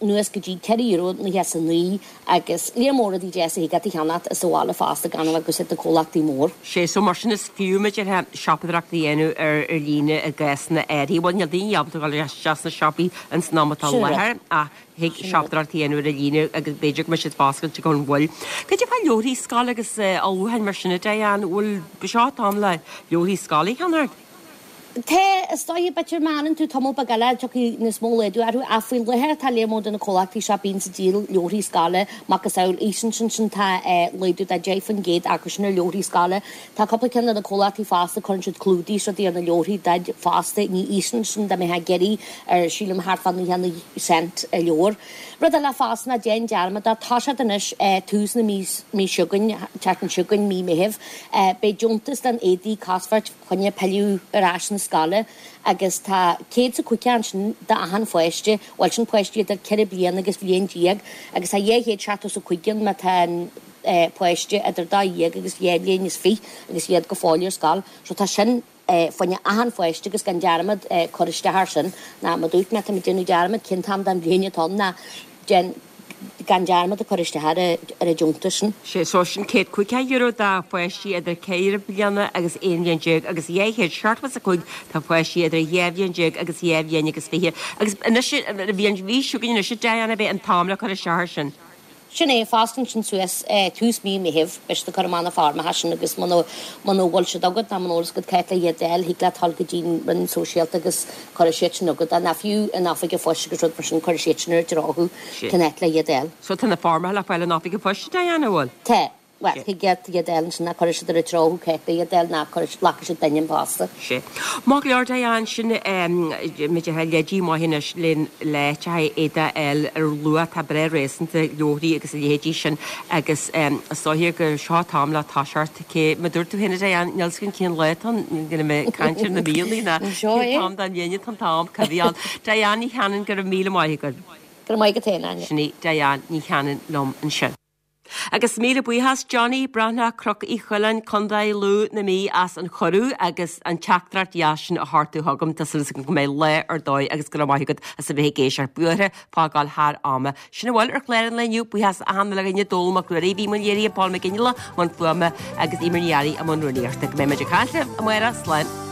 anuas go dtí €4.99 agus léar mór rudaí deasa a thig leat a cheannacht sa bhaile fosta gan a bheith ag úsáid na comhlachtaí mór. Sea, so mar sin is fiú b'fhéidir siopadóireacht a dhéanamh ar líne i gcásanna áirithe. Bhuel níl daoine ábalta dul isteach sna siopaí ins an am atá i láthair ach thig siopadóireacht a dhéanamh ar líne agus b'fhéidir go mbeidh siad foscailte gan mhoill. Cad é fá leabharthaí scoile agus ullmhúcháin mar sin a Diane, bhfuil seo an t-am le leabharthaí scoile a cheannacht? Tá, is dóiche, b'fhéidir má fhanann tú tamall beag eile, tiocfaidh níos mó laghdú orthu, ach faoi láthair tá léar mór de na comhlachtaí seo bíonn ag díol leabharthaí scoile, macasamhail Easons ansin tá laghdú de 10% acu sin ar leabharthaí scoile. Tá cúpla ceann de na comhlachtaí fosta, cuireann siad clúdaigh is rudaí ar na leabharthaí duit fosta, ní Easons sin dá mbeifeá ag iarraidh ar sílim thart fá 99 cent a leabhar. Rud eile fosta ná déan dearmad de, tá siad anois tús na mí seo chugainn, tseachtain seo chugainn, mí Meithimh, beidh deontas don éadaí cosmhairt, choinne pilleadh ar ais na scoile agus tá 150 ansin d'achan pháiste, bhuel sin páistí idir 4 bliana agus bhliain déag agus tá 275 ann má tá an páiste idir 12 agus 2 bhliain is 20 agus iad go fóill ar scoil. So tá sin fá choinne achan pháiste agus gan dearmad cur isteach air sin ná mar dúirt mé tá muid ag déanamh dearmad cén t-am den bhliain atá ann ná déan gan dearmad a chur isteach ar an deontas sin. Sé so sin €150 do pháistí idir 4 bliana agus 11 bhliain agus 275 do pháistí idir 12 bhliain agus 2 bhliain agus 20. Agus anois, bhí an mhí seo chugainn anois a Diane, beidh an t-am le cur isteach air sin. Sin é, fosta ansin suas tús mí Meithimh, beidh siad ag cur amach na foirmeacha sin agus muna muna bhfuil siad agat ná muna bhfuil fhios agat cá háit le iad a fháil, thig leat dul go dtí an Roinn Sóisialta agus cuirfidh siad sin chugat é, ná fiú in oifig an phoist agus rud mar sin, cuirfidh siad sin ar an dtreo thú cén áit le iad a fháil. So tá na foirmeacha le fáil in oifig an phoist, Diane, an bhfuil? Tá. Bhuel, thig leat iad a fháil ansin ná cuirfidh siad ar an treo thú cá háit le iad a fháil ná cuirfidh, glacfaidh siad duine an posta. Sea. Maith go leor, Diane, sin b'fhéidir leidí maith anois le le haghaidh éadaí a fháil ar luach atá breá réasúnta, leabharthaí agus a leithéidí sin agus is dóiche gur seo an t-am le toiseacht Cé, mar dúirt tú féin a Diane, níl 'fhios againn cén lá atá ann, ní raibh mé ag caint ar na míonna ná cén t-am den bhliain atá an t-am, cá bhí ann. Diane Ní Chanainn, go raibh míle maith agat. Go raibh maith agat féin, Áine. Sin í Diane Ní Chanainn liom ansin. Agus míle buíochas Johnny Breathnach, Cnoc Uí Choileáin, Contae Lú na Mí as an chuireadh agus an teachtaireacht dheas sin a thabhairt chugam. Tá súil agam go mbeidh lá ar dóigh agus go raibh maith agat as a bheith ag éisteacht. Buartha fágáil thar ama. Sin a bhfuil ar chlár an lae inniu. Buíochas achan uile dhuine, Dónall Mac Ruairí, bhí i mbun léirithe, Paul Mac Fhionnghaile i mbun fuaime agus Eimear Ní Fhearraigh i mbun rúnaíochta. Go mbeidh muid ag caint libh amárach. Slán.